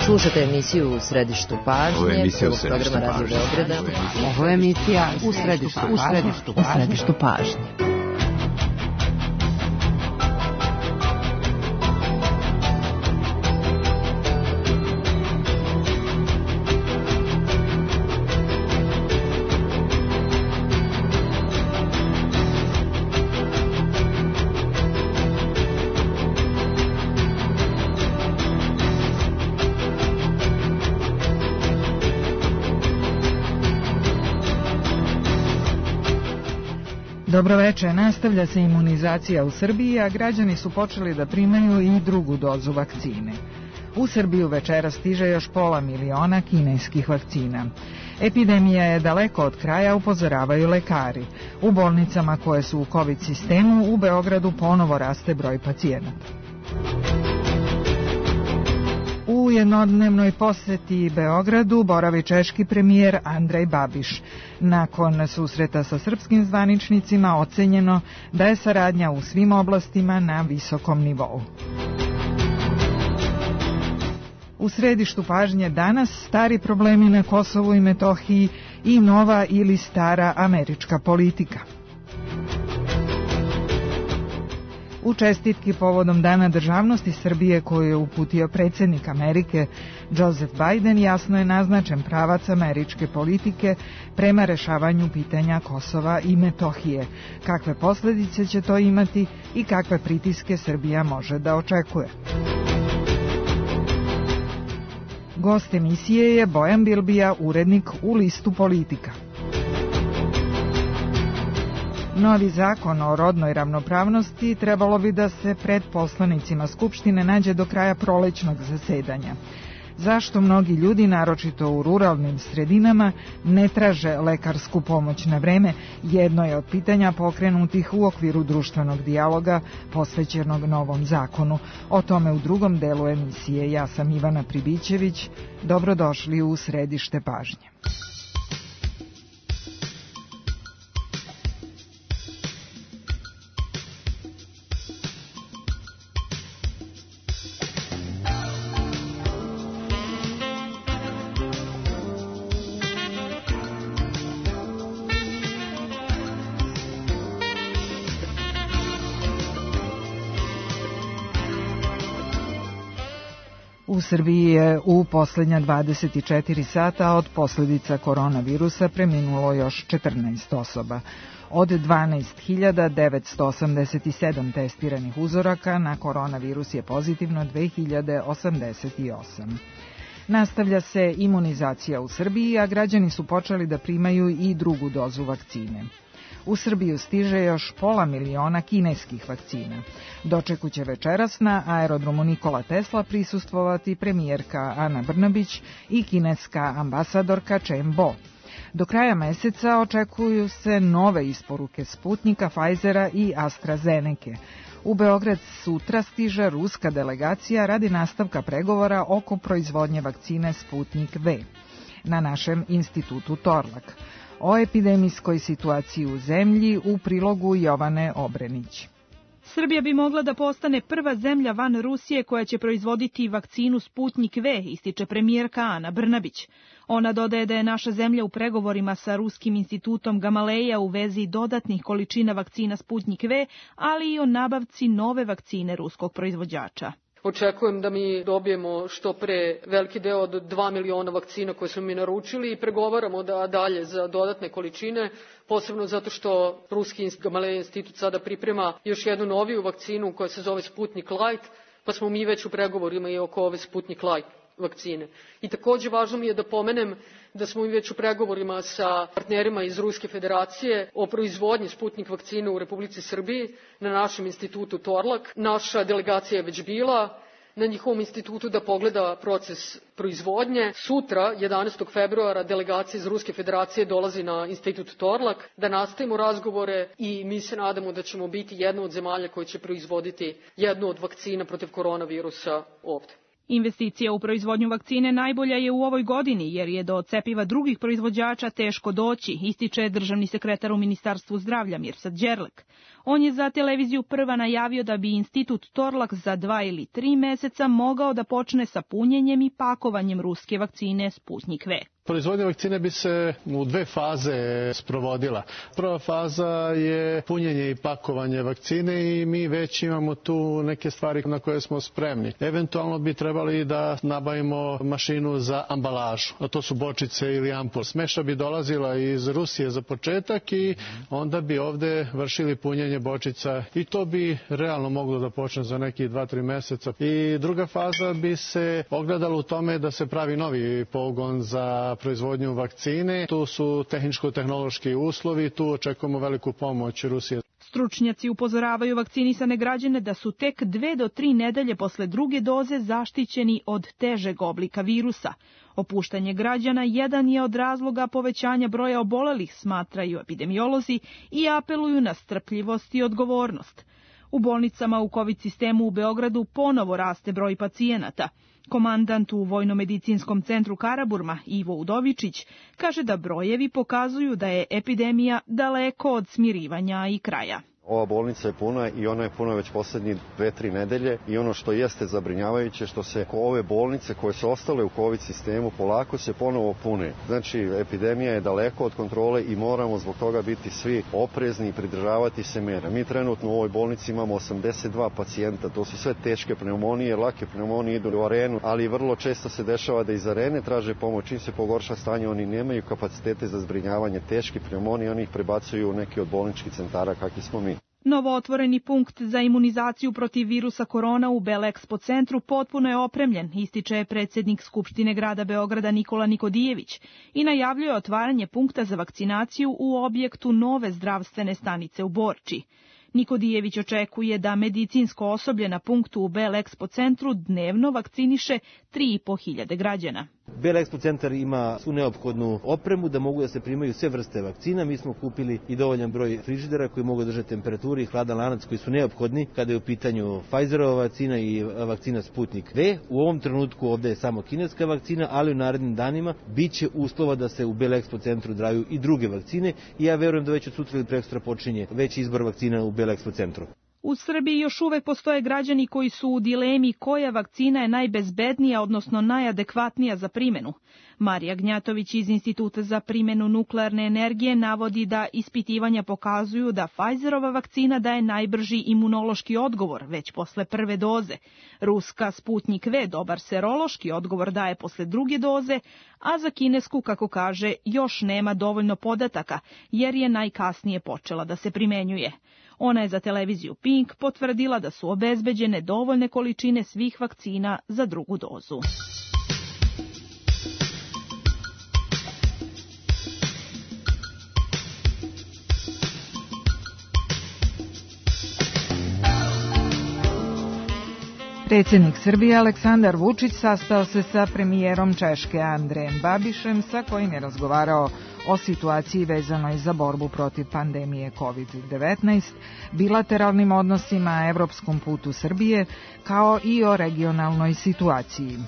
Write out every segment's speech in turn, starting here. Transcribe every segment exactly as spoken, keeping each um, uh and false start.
Slušate emisiju U središtu pažnje. Ovo je emisija U središtu pažnje. Ovo je emisija U središtu pažnje. U središtu pažnje. Dobroveče, nastavlja se imunizacija u Srbiji, a građani su počeli da primaju i drugu dozu vakcine. U Srbiju večera stiže još pola miliona kineskih vakcina. Epidemija je daleko od kraja, upozoravaju lekari. U bolnicama koje su u COVID sistemu u Beogradu ponovo raste broj pacijenata. U jednodnevnoj poseti Beogradu boravi češki premijer Andrej Babiš. Nakon susreta sa srpskim zvaničnicima ocenjeno da je saradnja u svim oblastima na visokom nivou. U središtu pažnje danas stari problemi na Kosovu i Metohiji i nova ili stara američka politika. U čestitki povodom Dana državnosti Srbije koju je uputio predsjednik Amerike Joseph Biden, jasno je naznačen pravac američke politike prema rešavanju pitanja Kosova i Metohije. Kakve posljedice će to imati i kakve pritiske Srbija može da očekuje? Gost emisije je Bojan Bilbija, urednik u Listu Politika. Novi zakon o rodnoj ravnopravnosti trebalo bi da se pred poslanicima Skupštine nađe do kraja prolećnog zasedanja. Zašto mnogi ljudi, naročito u ruralnim sredinama, ne traže lekarsku pomoć na vreme, jedno je od pitanja pokrenutih u okviru društvenog dijaloga posvećenog novom zakonu. O tome u drugom delu emisije. Ja sam Ivana Pribićević. Dobrodošli u središte pažnje. U Srbiji je u posljednja dvadeset četiri sata od posljedica koronavirusa preminulo još četrnaest osoba. Od dvanaest hiljada devetsto osamdeset sedam testiranih uzoraka na koronavirus je pozitivno dve hiljade osamdeset osam. Nastavlja se imunizacija u Srbiji, a građani su počeli da primaju i drugu dozu vakcine. U Srbiju stiže još pola miliona kineskih vakcina. Dočeku će večeras na aerodromu Nikola Tesla prisustvovati premijerka Ana Brnabić i kineska ambasadorka Chen Bo. Do kraja meseca očekuju se nove isporuke Sputnika, Pfizera i AstraZeneke. U Beograd sutra stiže ruska delegacija radi nastavka pregovora oko proizvodnje vakcine Sputnik V na našem institutu Torlak. O epidemijskoj situaciji u zemlji u prilogu Jovane Obrenić. Srbija bi mogla da postane prva zemlja van Rusije koja će proizvoditi vakcinu Sputnik V, ističe premijerka Ana Brnabić. Ona dodaje da je naša zemlja u pregovorima sa Ruskim institutom Gamaleja u vezi dodatnih količina vakcina Sputnik V, ali i o nabavci nove vakcine ruskog proizvođača. Očekujem da mi dobijemo što pre veliki deo od dva miliona vakcina koje smo mi naručili i pregovaramo da dalje za dodatne količine, posebno zato što Ruski Gamaleja institut sada priprema još jednu noviju vakcinu koja se zove Sputnik Light, pa smo mi već u pregovorima i oko ove Sputnik Light vakcine. I takođe važno mi je da pomenem da smo mi već u pregovorima sa partnerima iz Ruske federacije o proizvodnji Sputnik vakcine u Republici Srbiji na našem institutu Torlak. Naša delegacija je već bila na njihovom institutu da pogleda proces proizvodnje. Sutra, jedanaestog februara, delegacija iz Ruske federacije dolazi na institut Torlak da nastavimo razgovore i mi se nadamo da ćemo biti jedna od zemalja koja će proizvoditi jednu od vakcina protiv koronavirusa ovde. Investicija u proizvodnju vakcine najbolja je u ovoj godini, jer je do cepiva drugih proizvođača teško doći, ističe državni sekretar u Ministarstvu zdravlja Mirsad Đerlek. On je za televiziju Prva najavio da bi institut Torlak za dva ili tri meseca mogao da počne sa punjenjem i pakovanjem ruske vakcine Sputnjik V. Proizvodnja vakcine bi se u dve faze sprovodila. Prva faza je punjenje i pakovanje vakcine i mi već imamo tu neke stvari na koje smo spremni. Eventualno bi trebali da nabavimo mašinu za ambalažu, a to su bočice ili ampul. Smeša bi dolazila iz Rusije za početak i onda bi ovde vršili punjenje bočica i to bi realno moglo da počne za nekih dva tri meseca. I druga faza bi se ogledala u tome da se pravi novi pogon za proizvodnju vakcine. Tu su tehničko-tehnološki uslovi, tu očekujemo veliku pomoć Rusije. Stručnjaci upozoravaju vakcinisane građane da su tek dve do tri nedelje posle druge doze zaštićeni od težeg oblika virusa. Opuštanje građana jedan je od razloga povećanja broja obolelih, smatraju epidemiolozi i apeluju na strpljivost i odgovornost. U bolnicama u kovid sistemu u Beogradu ponovo raste broj pacijenata. Komandant u Vojnomedicinskom centru Karaburma, Ivo Udovičić, kaže da brojevi pokazuju da je epidemija daleko od smirivanja i kraja. Ova bolnica je puna i ona je puna već poslednjih dve, tri nedelje i ono što jeste zabrinjavajuće što se ove bolnice koje su ostale u kovid sistemu polako se ponovo pune. Znači, epidemija je daleko od kontrole i moramo zbog toga biti svi oprezni i pridržavati se mera. Mi trenutno u ovoj bolnici imamo osamdeset dva pacijenta, to su sve teške pneumonije, lake pneumonije idu u arenu, ali vrlo često se dešava da iz arene traže pomoć. Čim se pogorša stanje, oni nemaju kapacitete za zbrinjavanje teških pneumonija, oni ih prebacuju u neki od bolničkih centara kakvi smo mi. Novootvoreni punkt za imunizaciju protiv virusa korona u Belexpo centru potpuno je opremljen, ističe predsjednik Skupštine grada Beograda Nikola Nikodijević i najavljuje otvaranje punkta za vakcinaciju u objektu nove zdravstvene stanice u Borči. Nikodijević očekuje da medicinsko osoblje na punktu u Belexpo centru dnevno vakciniše tri i po hiljade građana. Belexpo centar ima svu neophodnu opremu da mogu da se primaju sve vrste vakcina. Mi smo kupili i dovoljan broj frižidera koji mogu držati temperaturu i hladan lanac koji su neophodni kada je u pitanju Pfizerova vakcina i vakcina Sputnik V. U ovom trenutku ovde je samo kineska vakcina, ali u narednim danima biće uslova da se u Belexpo centru daju i druge vakcine i ja verujem da već od sutra ili prekosutra počinje veći izbor vakcina u Belexpo centru. U Srbiji još uvek postoje građani koji su u dilemi koja vakcina je najbezbednija, odnosno najadekvatnija za primenu. Marija Gnjatović iz Instituta za primjenu nuklearne energije navodi da ispitivanja pokazuju da Pfizerova vakcina daje najbrži imunološki odgovor već posle prve doze. Ruska Sputnik V dobar serološki odgovor daje posle druge doze, a za kinesku, kako kaže, još nema dovoljno podataka jer je najkasnije počela da se primenjuje. Ona je za televiziju Pink potvrdila da su obezbeđene dovoljne količine svih vakcina za drugu dozu. Predsjednik Srbije Aleksandar Vučić sastao se sa premijerom Češke Andrejem Babišem, sa kojim je razgovarao o situaciji vezanoj za borbu protiv pandemije kovid devetnaest, bilateralnim odnosima, evropskom putu Srbije, kao i o regionalnoj situaciji.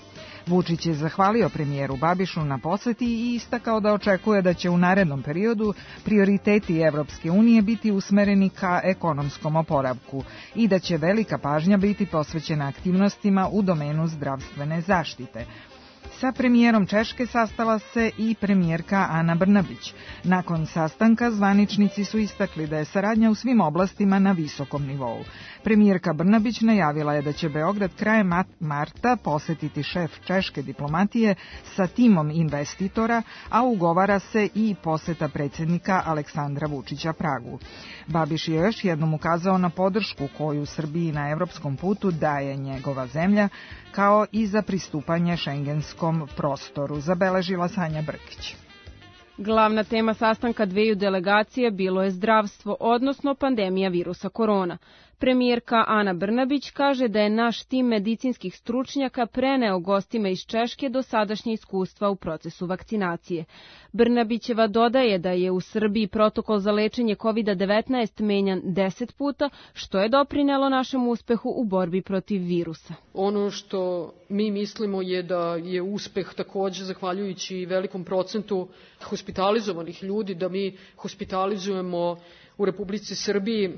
Vučić je zahvalio premijeru Babišu na poseti i istakao da očekuje da će u narednom periodu prioriteti Evropske unije biti usmereni ka ekonomskom oporavku i da će velika pažnja biti posvećena aktivnostima u domenu zdravstvene zaštite. Sa premijerom Češke sastala se i premijerka Ana Brnabić. Nakon sastanka zvaničnici su istakli da je saradnja u svim oblastima na visokom nivou. Premijerka Brnabić najavila je da će Beograd krajem marta posetiti šef češke diplomatije sa timom investitora, a ugovara se i poseta predsjednika Aleksandra Vučića Pragu. Babiš je još jednom ukazao na podršku koju Srbiji na evropskom putu daje njegova zemlja, kao i za pristupanje šengenskom prostoru, zabeležila Sanja Brkić. Glavna tema sastanka dveju delegacije bilo je zdravstvo, odnosno pandemija virusa korona. Premijerka Ana Brnabić kaže da je naš tim medicinskih stručnjaka preneo gostima iz Češke dosadašnje iskustva u procesu vakcinacije. Brnabićeva dodaje da je u Srbiji protokol za lečenje kovid devetnaest menjan deset puta, što je doprinelo našem uspehu u borbi protiv virusa. Ono što mi mislimo je da je uspeh takođe zahvaljujući velikom procentu hospitalizovanih ljudi, da mi hospitalizujemo u Republici Srbiji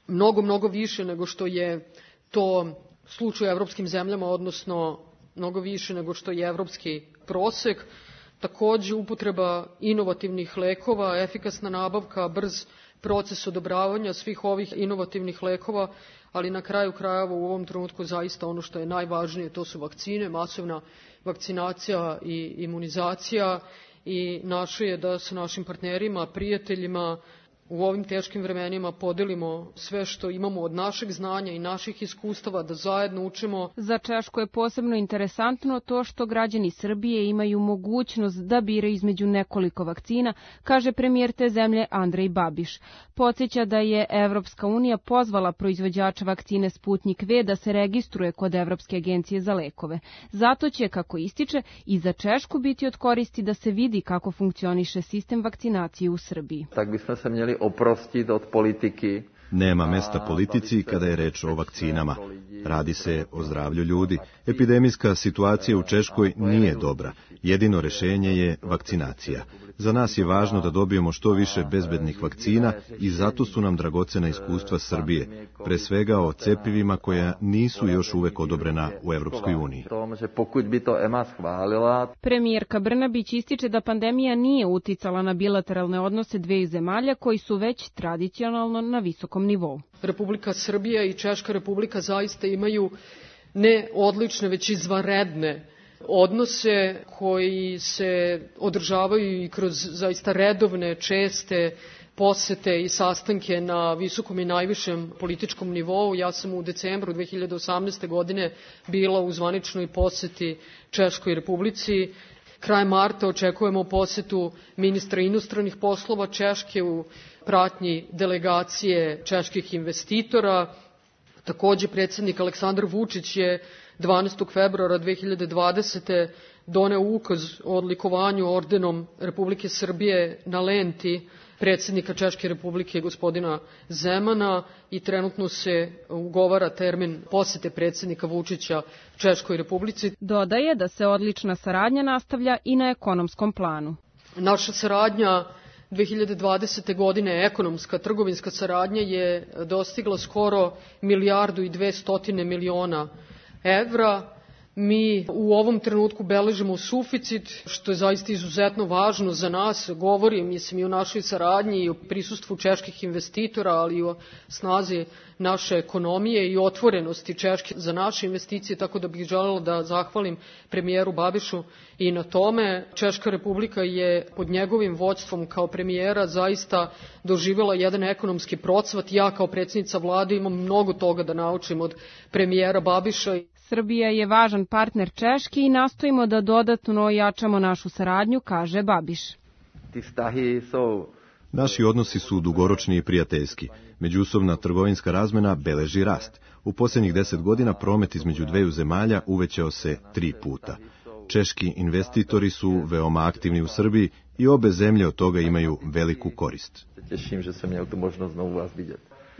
mnogo, mnogo više nego što je to slučaj u evropskim zemljama, odnosno mnogo više nego što je evropski prosek. Takođe, upotreba inovativnih lekova, efikasna nabavka, brz proces odobravanja svih ovih inovativnih lekova, ali na kraju krajeva u ovom trenutku zaista ono što je najvažnije, to su vakcine, masovna vakcinacija i imunizacija, i naše je da sa našim partnerima, prijateljima u ovim teškim vremenima podelimo sve što imamo od našeg znanja i naših iskustava, da zajedno učimo. Za Češku je posebno interesantno to što građani Srbije imaju mogućnost da biraju između nekoliko vakcina, kaže premijer te zemlje Andrej Babiš. Podsjeća da je Evropska unija pozvala proizvođača vakcine Sputnik V da se registruje kod Evropske agencije za lekove. Zato će, kako ističe, i za Češku biti od koristi da se vidi kako funkcioniše sistem vakcinacije u Srbiji. Tak bismo se měli oprostiti od politiky. Nema mesta politici kada je reč o vakcinama. Radi se o zdravlju ljudi. Epidemijska situacija u Češkoj nije dobra. Jedino rešenje je vakcinacija. Za nas je važno da dobijemo što više bezbednih vakcina i zato su nam dragocena iskustva Srbije, pre svega o cepivima koja nisu još uvek odobrena u Evropskoj uniji. Premijerka Brnabić ističe da pandemija nije uticala na bilateralne odnose dveju zemalja koji su već tradicionalno na visokom nivou. Republika Srbija i Češka Republika zaista imaju ne odlične, već izvanredne odnose koji se održavaju i kroz zaista redovne, česte posete i sastanke na visokom i najvišem političkom nivou. Ja sam u decembru dve hiljade osamnaeste. godine bila u zvaničnoj poseti Češkoj Republici. Krajem marta očekujemo posetu ministra inostranih poslova Češke u pratnji delegacije čeških investitora. Takođe, predsjednik Aleksandar Vučić je dvanaestog februara dve hiljade dvadesete. doneo ukaz o odlikovanju ordenom Republike Srbije na lenti predsjednika Češke Republike gospodina Zemana i trenutno se ugovara termin posete predsjednika Vučića Češkoj Republici. Dodaje da se odlična saradnja nastavlja i na ekonomskom planu. Naša saradnja dve hiljade dvadesete. godine, ekonomska, trgovinska saradnja je dostigla skoro milijardu i dvestotine miliona evra. Mi u ovom trenutku beležimo suficit, što je zaista izuzetno važno za nas. Govori, mislim, i o našoj saradnji i o prisustvu čeških investitora, ali i o snazi naše ekonomije i otvorenosti Češke za naše investicije, tako da bih želela da zahvalim premijeru Babišu i na tome. Češka Republika je pod njegovim vođstvom kao premijera zaista doživjela jedan ekonomski procvat. Ja kao predsjednica vlade imam mnogo toga da naučim od premijera Babiša. Srbija je važan partner Češki i nastojimo da dodatno ojačamo našu saradnju, kaže Babiš. Naši odnosi su dugoročni i prijateljski. Međusobna trgovinska razmena beleži rast. U posljednjih deset godina promet između dveju zemalja uvećao se tri puta. Češki investitori su veoma aktivni u Srbiji i obe zemlje od toga imaju veliku korist.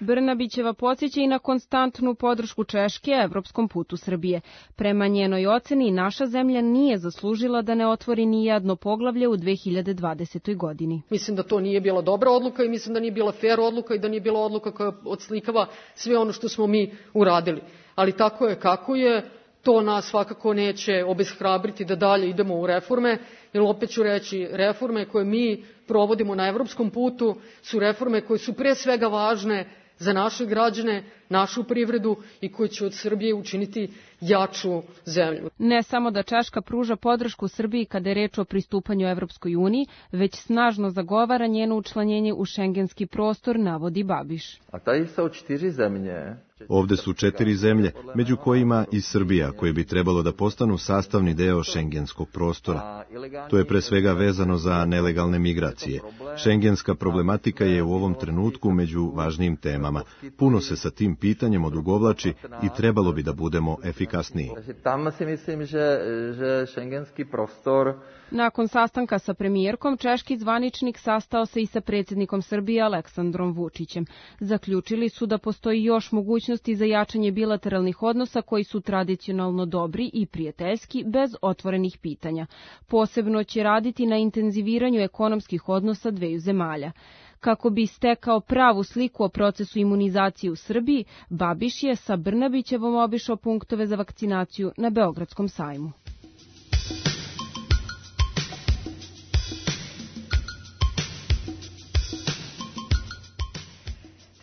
Brnabićeva podsjeća i na konstantnu podršku Češke evropskom putu Srbije. Prema njenoj oceni, naša zemlja nije zaslužila da ne otvori ni jedno poglavlje u dve hiljade dvadesetoj. godini. Mislim da to nije bila dobra odluka i mislim da nije bila fer odluka i da nije bila odluka koja odslikava sve ono što smo mi uradili. Ali tako je kako je, to nas svakako neće obeshrabriti da dalje idemo u reforme, jer opet ću reći, reforme koje mi provodimo na evropskom putu su reforme koje su pre svega važne za naše građane, našu privredu i koji će od Srbije učiniti jaču zemlju. Ne samo da Češka pruža podršku Srbiji kada je reč o pristupanju Evropskoj uniji, već snažno zagovara njeno učlanjenje u šengenski prostor, navodi Babiš. A tady su četiri zemlje. Ovde su četiri zemlje, među kojima i Srbija, koje bi trebalo da postanu sastavni deo šengenskog prostora. To je pre svega vezano za nelegalne migracije. Šengenska problematika je u ovom trenutku među važnijim temama. Puno se sa tim pitanjem odugovlači i trebalo bi da budemo efikasniji. Tam si mislim, že, že šengenski prostor... Nakon sastanka sa premijerkom, češki zvaničnik sastao se i sa predsjednikom Srbije Aleksandrom Vučićem. Zaključili su da postoji još mogućnosti za jačanje bilateralnih odnosa koji su tradicionalno dobri i prijateljski bez otvorenih pitanja. Posebno će raditi na intenziviranju ekonomskih odnosa dveju zemalja. Kako bi stekao pravu sliku o procesu imunizacije u Srbiji, Babiš je sa Brnabićevom obišao punktove za vakcinaciju na Beogradskom sajmu.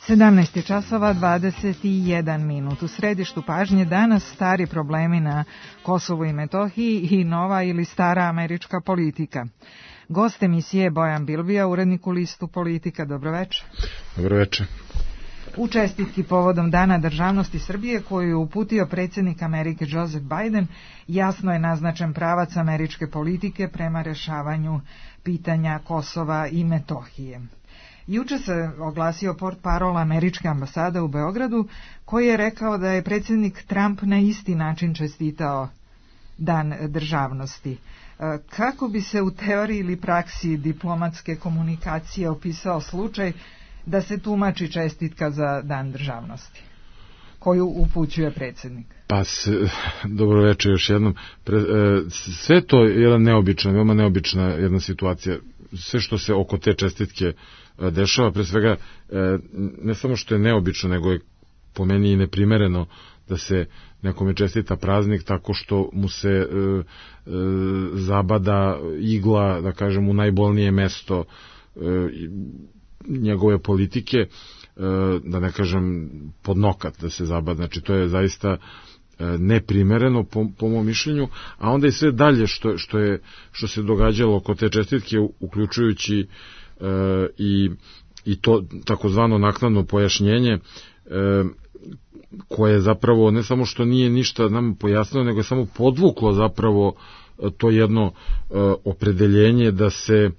sedamnaest časova dvadeset jedan minut. U središtu pažnje danas stari problemi na Kosovu i Metohiji i nova ili stara američka politika. Gost emisije Bojan Bilbija, urednik u listu Politika. Dobroveče. Dobroveče. U čestitki povodom Dana državnosti Srbije koju je uputio predsjednik Amerike Joseph Biden, jasno je naznačen pravac američke politike prema rešavanju pitanja Kosova i Metohije. Juče se oglasio portparol američke ambasade u Beogradu, koji je rekao da je predsjednik Trump na isti način čestitao Dan državnosti. Kako bi se u teoriji ili praksi diplomatske komunikacije opisao slučaj da se tumači čestitka za Dan državnosti, koju upućuje predsjednik? Pa, se, dobro večer još jednom. Pre, e, sve to je jedna neobična, veoma neobična jedna situacija. Sve što se oko te čestitke e, dešava, pre svega, e, ne samo što je neobično, nego je po meni i neprimereno da se nekome čestita praznik tako što mu se e, e, zabada igla, da kažem, u najbolnije mesto e, njegove politike, e, da ne kažem pod nokat da se zabada. Znači, to je zaista neprimereno po, po mom mišljenju, a onda i sve dalje što, što, je, što se događalo oko te čestitke, uključujući e, i, i to takozvano naknadno pojašnjenje, e, koje zapravo ne samo što nije ništa nam pojasnilo, nego je samo podvuklo zapravo to jedno e, opredeljenje da se e,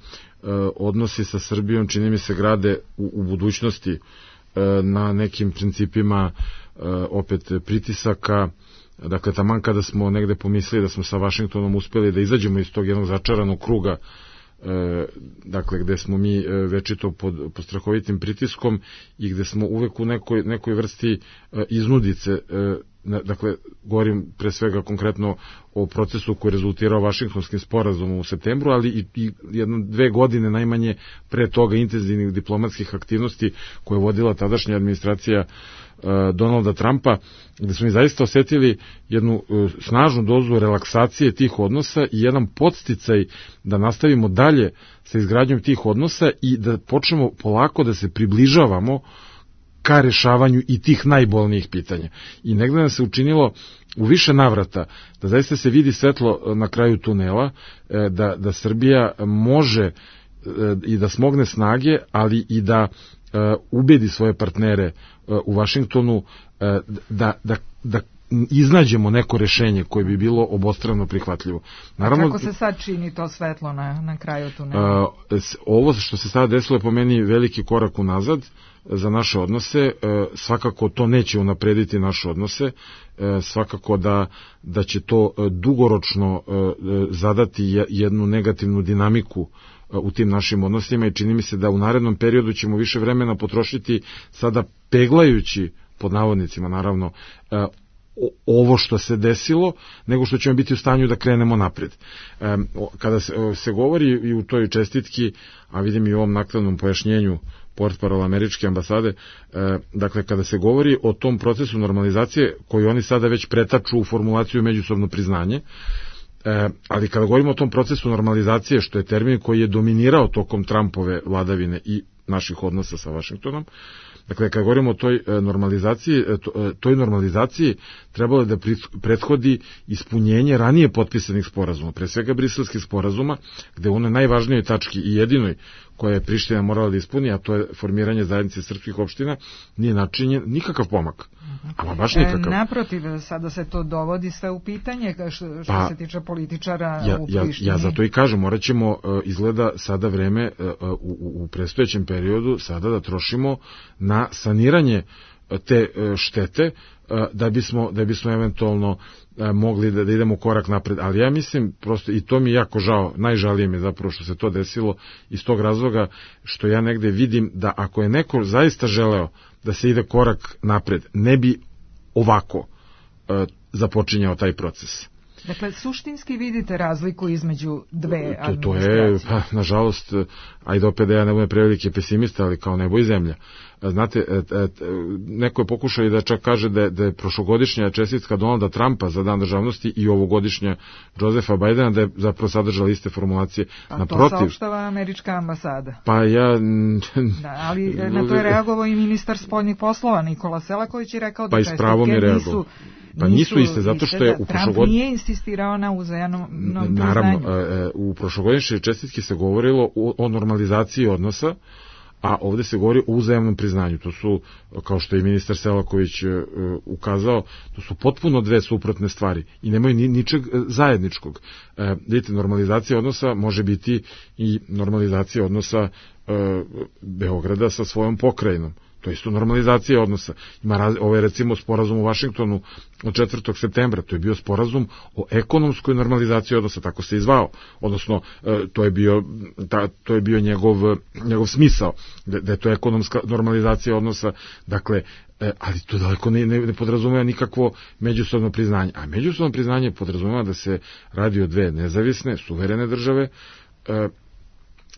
odnosi sa Srbijom, čini mi se, grade u, u budućnosti e, na nekim principima opet pritisaka. Dakle, taman kada smo negde pomislili da smo sa Vašingtonom uspeli da izađemo iz tog jednog začaranog kruga, dakle, gde smo mi večito pod, pod strahovitim pritiskom i gde smo uvek u nekoj, nekoj vrsti iznudice, dakle, govorim pre svega konkretno o procesu koji je rezultirao Vašingtonskim sporazumom u septembru, ali i, i jedno dve godine najmanje pre toga intenzivnih diplomatskih aktivnosti koje je vodila tadašnja administracija Donalda Trumpa, gde smo mi zaista osetili jednu snažnu dozu relaksacije tih odnosa i jedan podsticaj da nastavimo dalje sa izgradnjom tih odnosa i da počnemo polako da se približavamo ka rešavanju i tih najbolnijih pitanja. I negde nam se učinilo u više navrata da zaista se vidi svetlo na kraju tunela, da, da Srbija može i da smogne snage, ali i da ubedi svoje partnere u Vašingtonu da, da, da iznađemo neko rešenje koje bi bilo obostrano prihvatljivo. Naravno, kako se sad čini to svetlo na, na kraju tunela? Ovo što se sada desilo je po meni veliki korak unazad za naše odnose. Svakako to neće unaprediti naše odnose, svakako da, da će to dugoročno zadati jednu negativnu dinamiku u tim našim odnosima i čini mi se da u narednom periodu ćemo više vremena potrošiti sada peglajući, pod navodnicima naravno, ovo što se desilo, nego što ćemo biti u stanju da krenemo napred. Kada se, se govori i u toj čestitki, a vidim i u ovom naknadnom pojašnjenju portparola američke ambasade, dakle, kada se govori o tom procesu normalizacije koji oni sada već pretaču u formulaciju međusobno priznanje, E, ali kada govorimo o tom procesu normalizacije, što je termin koji je dominirao tokom Trumpove vladavine i naših odnosa sa Vašingtonom, dakle, kada govorimo o toj normalizaciji, toj normalizaciji trebalo je da prethodi ispunjenje ranije potpisanih sporazuma, pre svega briselskih sporazuma, gde u onoj najvažnijoj tački i jedinoj koje je Priština morala da ispuni, a to je formiranje zajednice srpskih opština, nije načinjen nikakav pomak. Ama baš nikakav. E, naprotiv, sada se to dovodi sve u pitanje što, što pa, se tiče političara ja, u Prištini. Ja, ja zato i kažem, morat ćemo izgleda sada vreme u, u predstojećem periodu sada da trošimo na saniranje te štete da bismo, da bismo eventualno mogli da, da idemo korak napred, ali ja mislim prosto, i to mi je jako žao, najžalije mi zapravo što se to desilo iz tog razloga što ja negde vidim da ako je neko zaista želeo da se ide korak napred, ne bi ovako uh, započinjao taj proces. Dakle, suštinski vidite razliku između dve to, to je, pa, nažalost, ajde opet da ja ne budem preveliki pesimista, ali kao nebo i zemlja. Znate, neko je pokušao i da čak kaže da je, da je prošlogodišnja čestitka Donalda Trumpa za dan državnosti i ovogodišnja Josefa Bajdena da je zapravo sadržala iste formulacije. A naprotiv, to saopštava američka ambasada. Pa ja... Da, ali na to je reagovao i ministar spoljnih poslova Nikola Selaković i rekao da pa čestitke nisu... Pa nisu iste, zato što je u prošlogodišnjoj... Trump nije insistirao na uzajamnom priznanju. Naravno, u prošlogodišnjoj čestitki se govorilo o normalizaciji odnosa, a ovde se govori o uzajamnom priznanju. To su, kao što je ministar Selaković uh, ukazao, to su potpuno dve suprotne stvari i nemaju ni, ničeg zajedničkog. Uh, vidite, normalizacija odnosa može biti i normalizacija odnosa uh, Beograda sa svojom pokrajinom. To je isto normalizacija odnosa. Ima raz, ovo je recimo sporazum u Vašingtonu od četvrtog septembra, to je bio sporazum o ekonomskoj normalizaciji odnosa, tako se i zvao. Odnosno, to je bio, ta, to je bio njegov, njegov smisao, da, da je to ekonomska normalizacija odnosa, dakle, ali to daleko ne, ne, ne podrazumeva nikakvo međusobno priznanje. A međusobno priznanje podrazumeva da se radi o dve nezavisne, suverene države,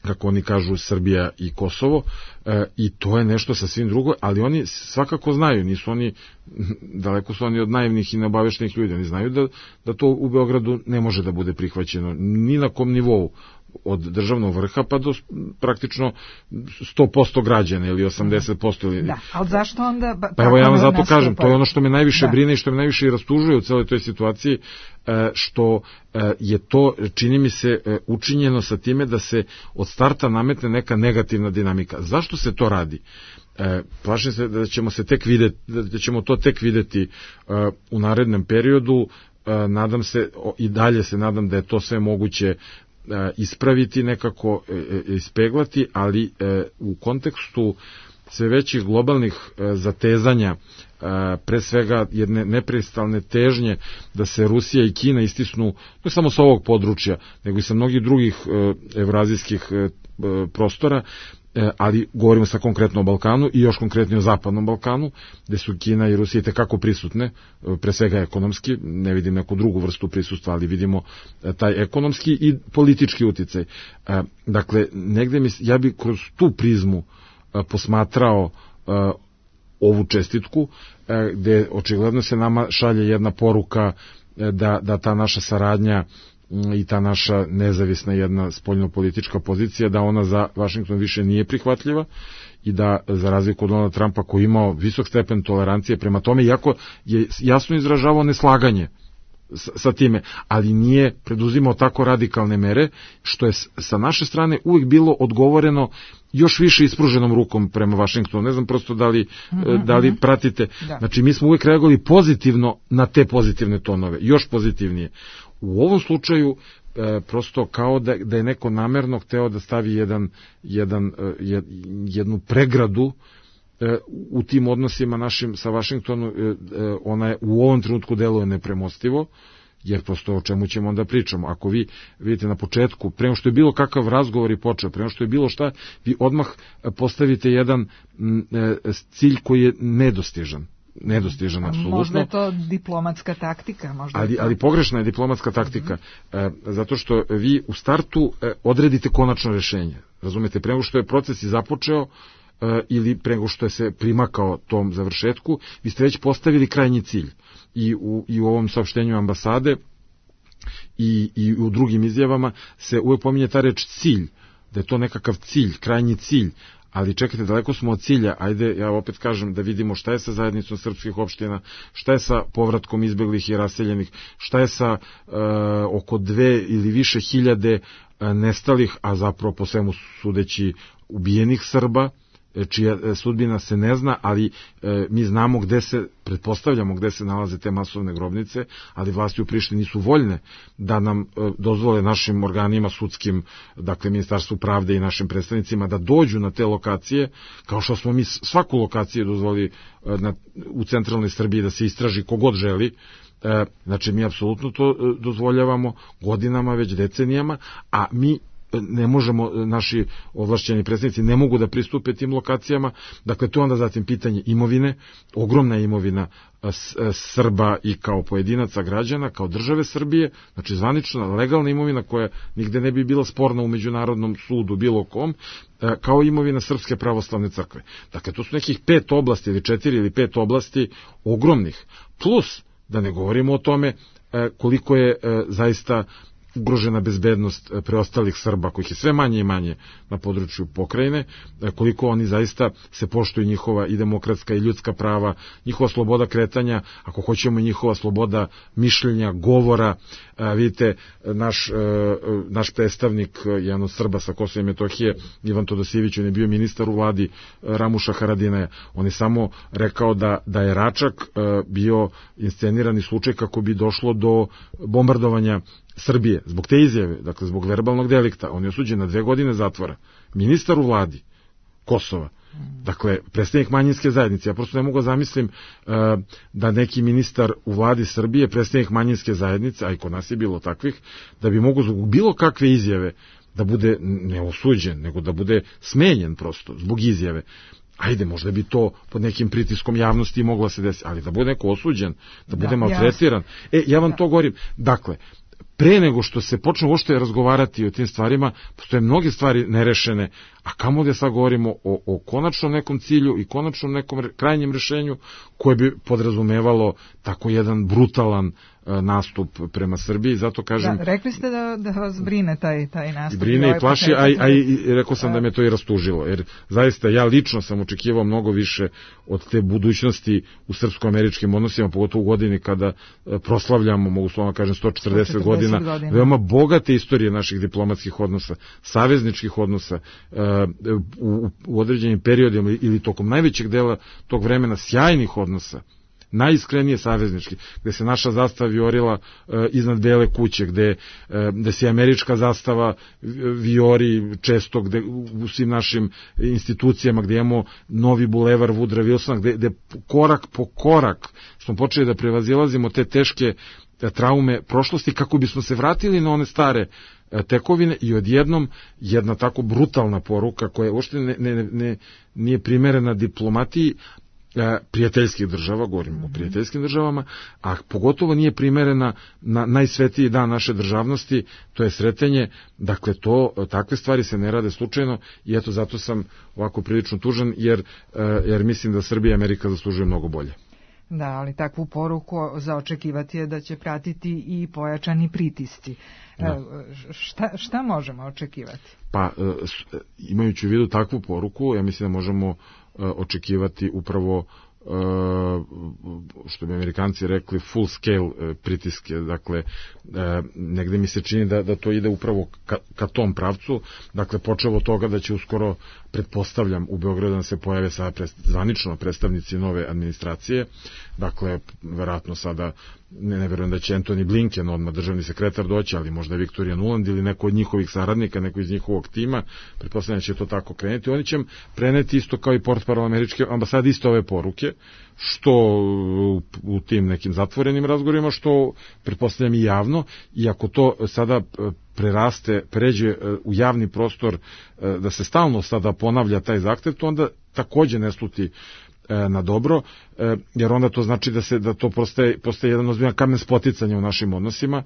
kako oni kažu Srbija i Kosovo, e, i to je nešto sasvim drugo, ali oni svakako znaju, nisu oni, daleko su oni od naivnih i neobaveštenih ljudi, oni znaju da, da to u Beogradu ne može da bude prihvaćeno ni na kom nivou, od državnog vrha pa do praktično sto posto građana ili osamdeset posto. Ili... Da, ali zašto onda... Ba, pa evo ja vam zato kažem, to je ono što me najviše da. brine i što me najviše i rastužuje u celoj toj situaciji, što je to, čini mi se, učinjeno sa time da se od starta nametne neka negativna dinamika. Zašto se to radi? Plašim se da ćemo se tek videti, da ćemo to tek videti u narednom periodu. Nadam se, i dalje se nadam da je to sve moguće ispraviti, nekako ispeglati, ali u kontekstu sve većih globalnih zatezanja, pre svega jedne neprestalne težnje da se Rusija i Kina istisnu ne samo sa ovog područja, nego i sa mnogih drugih evrazijskih prostora, ali govorimo sa konkretno o Balkanu i još konkretnije o Zapadnom Balkanu, gde su Kina i Rusija tekako prisutne, pre svega ekonomski, ne vidim neku drugu vrstu prisustva, ali vidimo taj ekonomski i politički uticaj. Dakle, negde mi, ja bi kroz tu prizmu posmatrao ovu čestitku, gde očigledno se nama šalje jedna poruka da, da ta naša saradnja i ta naša nezavisna jedna spoljnopolitička pozicija, da ona za Vašington više nije prihvatljiva i da, za razliku od Donalda Trumpa koji imao visok stepen tolerancije prema tome, iako je jasno izražavao neslaganje sa time, ali nije preduzimao tako radikalne mere, što je sa naše strane uvijek bilo odgovoreno još više ispruženom rukom prema Vašingtonu. Ne znam prosto da li, mm-hmm. da li pratite. Da. Znači, mi smo uvijek reagovali pozitivno na te pozitivne tonove, još pozitivnije. U ovom slučaju e, prosto kao da, da je neko namerno hteo da stavi jedan, jedan, e, jednu pregradu e, u tim odnosima našim sa Vašingtonom, e, ona je u ovom trenutku deluje nepremostivo, jer prosto o čemu ćemo onda pričamo. Ako vi vidite na početku, prema što je bilo kakav razgovor i počeo, prema što je bilo šta, vi odmah postavite jedan m, e, cilj koji je nedostižan. nedostižan, apsolutno. Možda je to diplomatska taktika. Možda ali, to... ali pogrešna je diplomatska taktika, mm-hmm. e, zato što vi u startu e, odredite konačno rešenje. Razumete, prema što je proces i započeo e, ili prema što je se primakao tom završetku, vi ste već postavili krajnji cilj. I u, i u ovom saopštenju ambasade i, i u drugim izjavama se uvijek pominje ta reč cilj, da je to nekakav cilj, krajnji cilj. Ali čekajte, daleko smo od cilja. Ajde, ja opet kažem da vidimo šta je sa zajednicom srpskih opština, šta je sa povratkom izbeglih i raseljenih, šta je sa e, oko dve ili više hiljade e, nestalih, a zapravo po svemu sudeći ubijenih Srba, čija sudbina se ne zna, ali e, mi znamo gde se, pretpostavljamo gde se nalaze te masovne grobnice, ali vlasti u Prištini nisu voljne da nam e, dozvole našim organima sudskim, dakle Ministarstvu pravde i našim predstavnicima da dođu na te lokacije, kao što smo mi svaku lokaciju dozvoli e, na, u centralnoj Srbiji da se istraži kogod želi. E, znači mi apsolutno to e, dozvoljavamo godinama, već decenijama, a mi ne možemo, naši ovlašćeni predstavnici ne mogu da pristupe tim lokacijama. Dakle, to onda zatim pitanje imovine, ogromna imovina Srba i kao pojedinaca građana, kao države Srbije, znači zvanična, legalna imovina koja nigde ne bi bila sporna u međunarodnom sudu bilo kom, kao imovina Srpske pravoslavne crkve. Dakle, to su nekih pet oblasti ili četiri ili pet oblasti ogromnih. Plus, da ne govorimo o tome koliko je zaista ugrožena bezbednost preostalih Srba, kojih je sve manje i manje na području pokrajine, koliko oni zaista se poštuju njihova i demokratska i ljudska prava, njihova sloboda kretanja, ako hoćemo njihova sloboda mišljenja, govora. Vidite, naš, naš predstavnik, jedan od Srba sa Kosova i Metohije, Ivan Todosijević, on je bio ministar u vladi Ramuša Haradinaja. On je samo rekao da, da je Račak bio inscenirani slučaj kako bi došlo do bombardovanja Srbije, zbog te izjave, dakle zbog verbalnog delikta. On je osuđen na dve godine zatvora. Ministar u vladi Kosova, dakle predstavnik manjinske zajednice. Ja prosto ne mogu zamislim uh, da neki ministar u vladi Srbije, predstavnik manjinske zajednice, a i kod nas je bilo takvih, da bi mogu zbog bilo kakve izjave da bude ne osuđen, nego da bude smenjen prosto zbog izjave. Ajde, možda bi to pod nekim pritiskom javnosti moglo se desiti, ali da bude neko osuđen, da bude da, maltretiran. Ja. E, ja vam da. to govorim. Dakle, pre nego što se počne uopšte razgovarati o tim stvarima, postoje mnoge stvari nerešene, a kamo da sad govorimo o, o konačnom nekom cilju i konačnom nekom re, krajnjem rešenju koje bi podrazumevalo tako jedan brutalan uh, nastup prema Srbiji, zato kažem... Da, rekli ste da, da vas brine taj, taj nastup. Brine i plaši, a, a i rekao sam da me to i rastužilo, jer zaista ja lično sam očekivao mnogo više od te budućnosti u srpsko-američkim odnosima, pogotovo u godini kada uh, proslavljamo, mogu slovno kažem, sto četrdeset godina, godina, veoma bogate istorije naših diplomatskih odnosa, savezničkih odnosa, uh, u, u određenim periodima ili tokom najvećeg dela tog vremena sjajnih odnosa, najiskrenije saveznički, gde se naša zastava viorila uh, iznad Bele kuće, gde, uh, gde se američka zastava viori često gde, u svim našim institucijama, gde imamo novi bulevar Woodrow Wilsona, gde, gde korak po korak smo počeli da prevazilazimo te teške traume prošlosti kako bismo se vratili na one stare tekovine i odjednom jedna tako brutalna poruka koja uopšte ne, ne, ne, nije primerena diplomatiji prijateljskih država, govorimo o prijateljskim državama, a pogotovo nije primerena na najsvetiji dan naše državnosti, to je sretenje. Dakle, to, takve stvari se ne rade slučajno i eto zato sam ovako prilično tužan, jer, jer mislim da Srbija i Amerika zaslužuju mnogo bolje. Da, ali takvu poruku za očekivati je da će pratiti i pojačani pritisci. Da. Šta, šta možemo očekivati? Pa, imajući u vidu takvu poruku, ja mislim da možemo očekivati upravo, što bi Amerikanci rekli, full scale pritiske. Dakle, negde mi se čini da, da to ide upravo ka, ka tom pravcu. Dakle, počevo od toga da će uskoro, pretpostavljam, u Beogradu da se pojave sada prest, zvanično predstavnici nove administracije. Dakle, verovatno sada, ne, ne verujem da će Antony Blinken, odmah državni sekretar, doći, ali možda Viktorija Nuland ili neko od njihovih saradnika, neko iz njihovog tima, pretpostavljam da će to tako krenuti. Oni će preneti isto kao i portparol američke ambasade isto ove poruke, što u tim nekim zatvorenim razgovorima, što pretpostavljam i javno, i ako to sada preraste, pređe u javni prostor, da se stalno sada ponavlja taj zahtev, to onda takođe ne sluti na dobro, jer onda to znači da se da to postaje, postaje jedan ozbiljan kamen spoticanja u našim odnosima.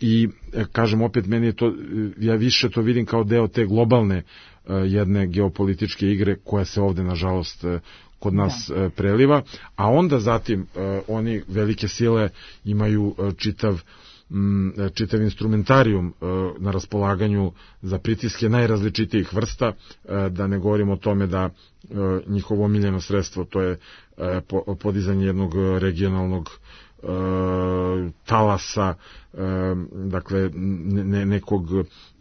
I kažem opet, meni je to, ja više to vidim kao deo te globalne jedne geopolitičke igre koja se ovde nažalost kod nas da. preliva, a onda zatim oni velike sile imaju čitav čitav instrumentarijum na raspolaganju za pritiske najrazličitijih vrsta, da ne govorimo o tome da njihovo omiljeno sredstvo, to je podizanje jednog regionalnog talasa, dakle ne, nekog,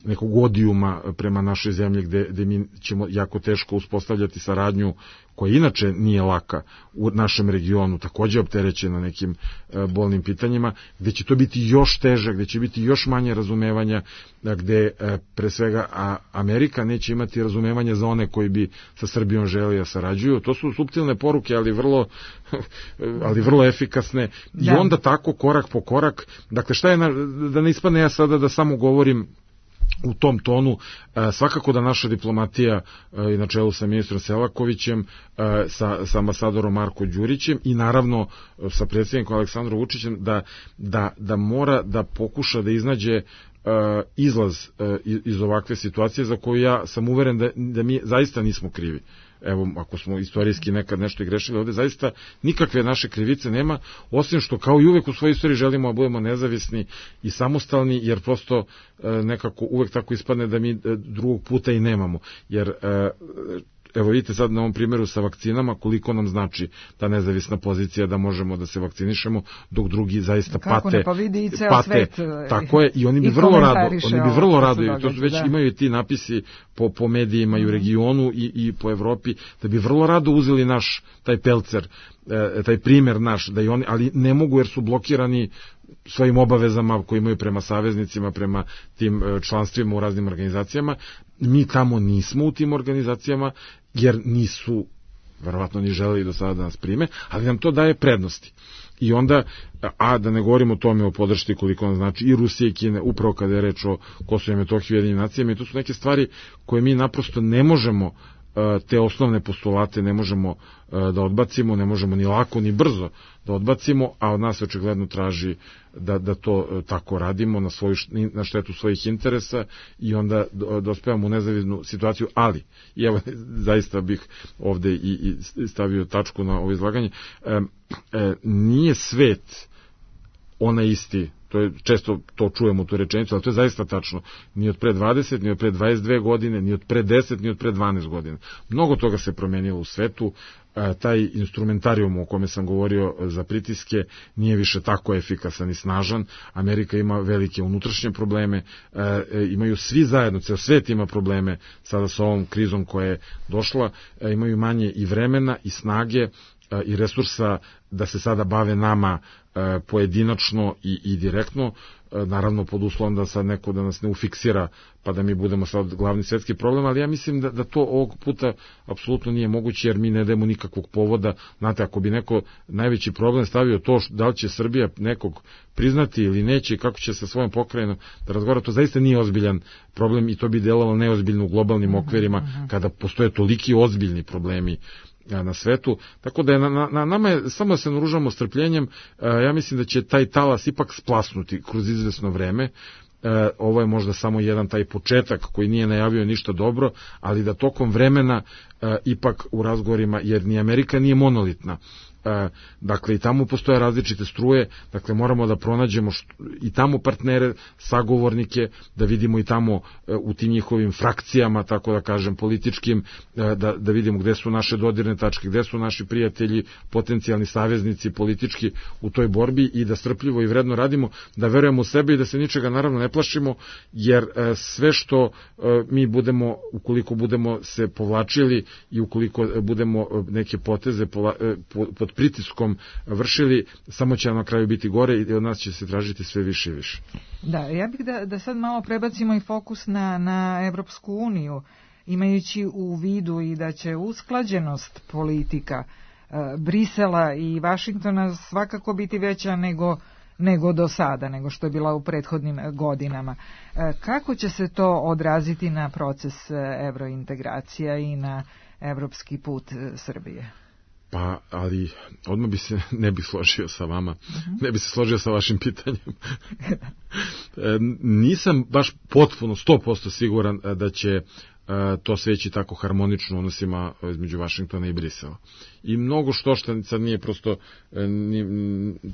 nekog odijuma prema našoj zemlji, gde, gde mi ćemo jako teško uspostavljati saradnju koja inače nije laka u našem regionu, takođe opterećena nekim bolnim pitanjima, gde će to biti još teže, gde će biti još manje razumevanja, gde pre svega Amerika neće imati razumevanja za one koji bi sa Srbijom želi da sarađuju. To su suptilne poruke, ali vrlo, ali vrlo efikasne. I onda tako korak po korak, dakle šta je, na, da ne ispadne ja sada da samo govorim u tom tonu. Svakako da naša diplomatija i na čelu sa ministrom Selakovićem, sa, sa ambasadorom Marko Đurićem i naravno sa predsjednikom Aleksandrom Vučićem da, da, da mora da pokuša da iznađe izlaz iz ovakve situacije za koju ja sam uveren da, da mi zaista nismo krivi. Evo, ako smo istorijski nekad nešto i grešili, ovde zaista nikakve naše krivice nema, osim što kao i uvek u svojoj istoriji želimo da budemo nezavisni i samostalni, jer prosto nekako uvek tako ispadne da mi drugog puta i nemamo. Jer evo vidite sad na ovom primjeru sa vakcinama koliko nam znači ta nezavisna pozicija da možemo da se vakcinišemo dok drugi zaista kako pate. Ne, pa vidi i ceo pate, svet. Tako je, i oni bi vrlo rado, oni bi vrlo rado, i to su već da. imaju ti napisi po, po medijima i u regionu i, i po Evropi, da bi vrlo rado uzeli naš taj pelcer, taj primjer naš, da i oni, ali ne mogu jer su blokirani svojim obavezama koje imaju prema saveznicima, prema tim članstvima u raznim organizacijama. Mi tamo nismo u tim organizacijama, jer nisu verovatno ni želeli do sada da nas prime, ali nam to daje prednosti. I onda, a da ne govorimo o tome o podršci koliko nam znači i Rusije i Kine, upravo kada je reč o Kosovu i Metohiji i Ujedinjenim nacijama, i to su neke stvari koje mi naprosto ne možemo, te osnovne postulate ne možemo da odbacimo, ne možemo ni lako ni brzo da odbacimo, a od nas očigledno traži da, da to tako radimo na, svoju, na štetu svojih interesa i onda dospevamo u nezavisnu situaciju, ali, i evo zaista bih ovde i, i stavio tačku na ovo izlaganje, e, e, nije svet onaj isti, to je, često to čujemo tu rečenicu, ali to je zaista tačno, ni od pre dvadeset, ni od pre dvadeset dve godine, ni od pre deset, ni od pre dvanaest godina. Mnogo toga se promenilo u svetu, taj instrumentarijum o kome sam govorio za pritiske nije više tako efikasan i snažan. Amerika ima velike unutrašnje probleme, imaju svi zajedno, ceo svet ima probleme sada sa ovom krizom koja je došla, imaju manje i vremena i snage i resursa da se sada bave nama pojedinačno i, i direktno, naravno pod uslovom da sad neko da nas ne ufiksira pa da mi budemo sad glavni svetski problem, ali ja mislim da, da to ovog puta apsolutno nije moguće, jer mi ne dajemo nikakvog povoda. Znate, ako bi neko najveći problem stavio to da li će Srbija nekog priznati ili neće i kako će sa svojom pokrajinom da razgovara, to zaista nije ozbiljan problem i to bi delovalo neozbiljno u globalnim okvirima kada postoje toliki ozbiljni problemi na svetu, tako da je na, na nama je samo da se naružamo strpljenjem. Ja mislim da će taj talas ipak splasnuti kroz izvesno vreme. Ovo je možda samo jedan taj početak koji nije najavio ništa dobro, ali da tokom vremena ipak u razgovorima, jer ni Amerika nije monolitna, dakle i tamo postoje različite struje, dakle moramo da pronađemo što, i tamo partnere, sagovornike, da vidimo i tamo u tim njihovim frakcijama, tako da kažem, političkim, da, da vidimo gde su naše dodirne tačke, gde su naši prijatelji, potencijalni saveznici politički u toj borbi i da strpljivo i vredno radimo, da verujemo u sebe i da se ničega naravno ne plašimo, jer sve što mi budemo, ukoliko budemo se povlačili i ukoliko budemo neke poteze pod pritiskom vršili, samo će na kraju biti gore i od nas će se tražiti sve više i više. Da, ja bih da, da sad malo prebacimo i fokus na, na Evropsku uniju, imajući u vidu i da će usklađenost politika e, Brisela i Vašingtona svakako biti veća nego, nego do sada, nego što je bila u prethodnim godinama. E, kako će se to odraziti na proces evrointegracija i na evropski put Srbije? Pa, ali odmah bi se ne bi složio sa vama, uh-huh. ne bi se složio sa vašim pitanjem. e, nisam baš potpuno sto posto siguran da će e, to sveći tako harmonično u odnosima između Vašingtona i Brisela. I mnogo što što sad nije prosto e, ni,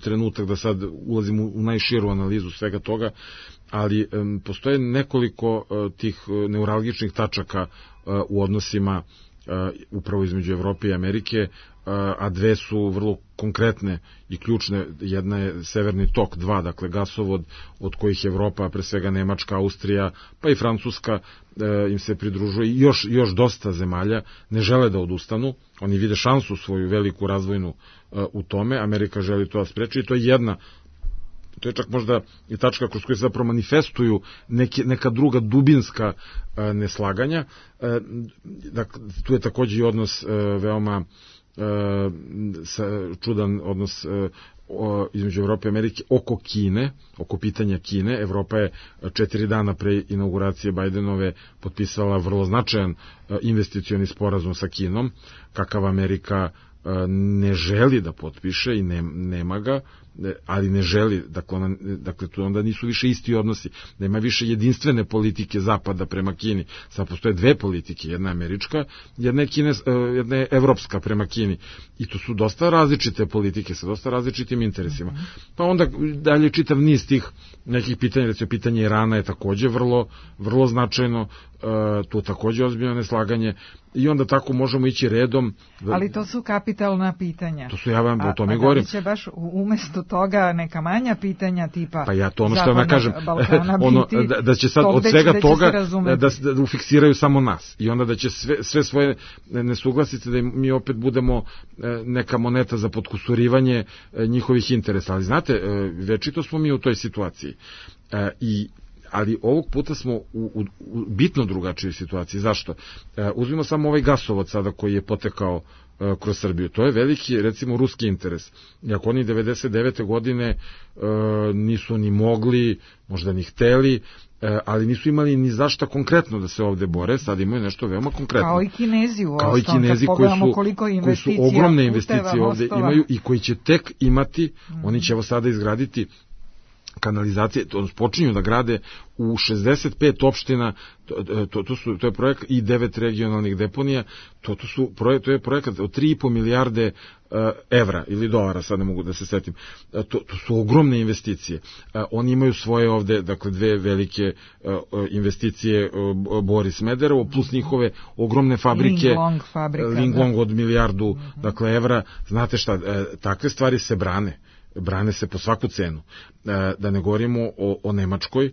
trenutak da sad ulazim u, u najširu analizu svega toga, ali e, postoje nekoliko e, tih neuralgičnih tačaka e, u odnosima Uh, upravo između Evrope i Amerike, uh, a dve su vrlo konkretne i ključne. Jedna je Severni tok dva, dakle gasovod od kojih Evropa, pre svega Nemačka, Austrija, pa i Francuska uh, im se pridružuje i još, još dosta zemalja ne žele da odustanu. Oni vide šansu svoju veliku razvojnu uh, u tome. Amerika želi to da spreči i to je jedna, to je čak možda i tačka kroz koju se zapravo manifestuju neke, neka druga dubinska e, neslaganja. E, dakle, tu je takođe i odnos e, veoma e, sa, čudan odnos e, između Evrope i Amerike oko Kine, oko pitanja Kine. Evropa je četiri dana pre inauguracije Bajdenove potpisala vrlo značajan investicioni sporazum sa Kinom, kakav Amerika ne želi da potpiše i ne, nema ga, ali ne želi, dakle, ona, dakle tu onda nisu više isti odnosi, nema više jedinstvene politike Zapada prema Kini, sad postoje dve politike, jedna je američka, jedna je, Kine, jedna je evropska prema Kini, i to su dosta različite politike sa dosta različitim interesima. Pa onda dalje čitav niz tih nekih pitanja, recimo pitanje Irana je takođe vrlo, vrlo značajno, tu takođe ozbiljno neslaganje, i onda tako možemo ići redom. Ali to su kapitalna pitanja. To su, ja vam o tome a, govorim. A da li će baš umesto toga neka manja pitanja tipa pa ja to ono što vam kažem, Balkana ono, biti, da, da će sad od svega da toga da, da, da ufiksiraju samo nas i onda da će sve, sve svoje nesuglasice da mi opet budemo neka moneta za potkusurivanje njihovih interesa. Ali znate, večito smo mi u toj situaciji. I ali ovog puta smo u, u, u bitno drugačijoj situaciji. Zašto? E, uzmimo samo ovaj gasovod sada koji je potekao e, kroz Srbiju. To je veliki, recimo, ruski interes. I ako oni devedeset devete godine e, nisu ni mogli, možda ni hteli, e, ali nisu imali ni zašta konkretno da se ovde bore, sad imaju nešto veoma konkretno. Kao i Kinezi u Kao i Kinezi koji su, koji su ogromne investicije ovde mostova imaju i koji će tek imati, mm. oni će evo sada izgraditi kanalizacije, to počinju da grade u šezdeset pet opština, to, to, to, su, to je projekat i devet regionalnih deponija, to, to, su, to je projekat od tri i po milijarde uh, evra ili dolara, sad ne mogu da se setim. Uh, to, to su ogromne investicije. Uh, oni imaju svoje ovde, dakle, dve velike uh, investicije, uh, Boris Smederevo, plus njihove ogromne fabrike, Linglong fabrika, Linglong od milijardu, uh-huh. dakle, evra. Znate šta, uh, takve stvari se brane. brane se po svaku cenu. Da ne govorimo o, o Nemačkoj,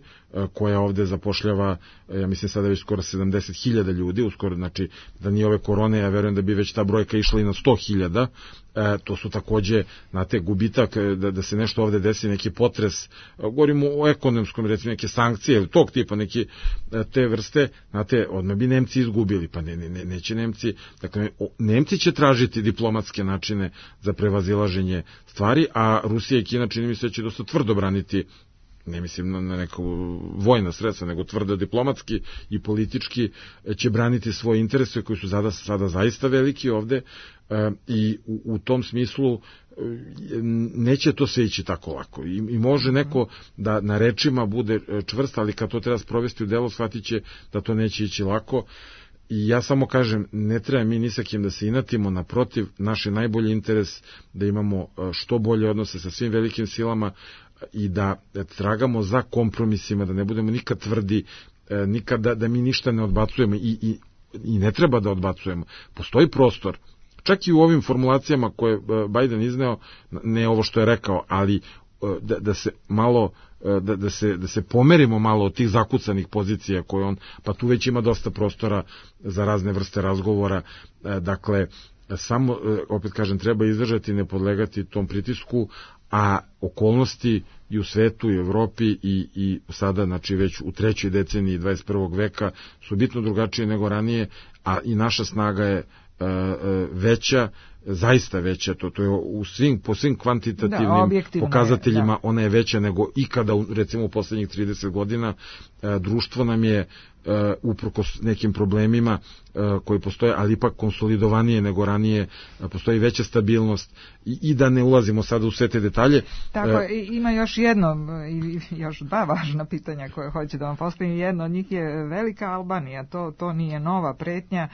koja ovde zapošljava, ja mislim sada već skoro sedamdeset hiljada ljudi, uskoro, znači da nije ove korone, ja verujem da bi već ta brojka išla i na sto hiljada, e, to su takođe, znate, gubitak, da, da se nešto ovde desi, neki potres, govorimo o ekonomskom, recimo neke sankcije, ili tog tipa, neke te vrste, znate, odmah bi Nemci izgubili, pa ne, ne, neće Nemci, dakle, Nemci će tražiti diplomatske načine za prevazilaženje stvari, a Rusija i Kina, čini mi se, će dosta tvrdo braniti, ne mislim na, na neko vojna sredstva, nego tvrdo diplomatski i politički će braniti svoje interese koji su sada, sada zaista veliki ovde e, i u, u tom smislu e, neće to sve ići tako lako. I, I može neko da na rečima bude čvrst, ali kad to treba sprovesti u delo, shvatit će da to neće ići lako. I ja samo kažem, ne treba mi ni sa kim da se inatimo, naprotiv, naš je najbolji interes da imamo što bolje odnose sa svim velikim silama i da tragamo za kompromisima, da ne budemo nikad tvrdi, nikad da, da mi ništa ne odbacujemo i, i, i ne treba da odbacujemo. Postoji prostor, čak i u ovim formulacijama koje Biden izneo, ne ovo što je rekao, ali da, da se malo Da, da, se, da se pomerimo malo od tih zakucanih pozicija koje on, pa tu već ima dosta prostora za razne vrste razgovora, dakle, samo, opet kažem, treba izdržati, ne podlegati tom pritisku, a okolnosti i u svetu i u Evropi i, i sada, znači već u trećoj deceniji dvadeset prvog veka su bitno drugačije nego ranije, a i naša snaga je uh, veća, zaista veća, to, to je u svim, po svim kvantitativnim da, pokazateljima, je, da. Ona je veća nego ikada, recimo u poslednjih trideset godina, e, društvo nam je, e, uprkos nekim problemima e, koji postoje, ali ipak konsolidovanije nego ranije, e, postoji veća stabilnost i, i da ne ulazimo sada u sve te detalje. Tako, e, ima još jedno, još dva važna pitanja koje hoće da vam postavim. Jedno od njih je velika Albanija, to, to nije nova pretnja,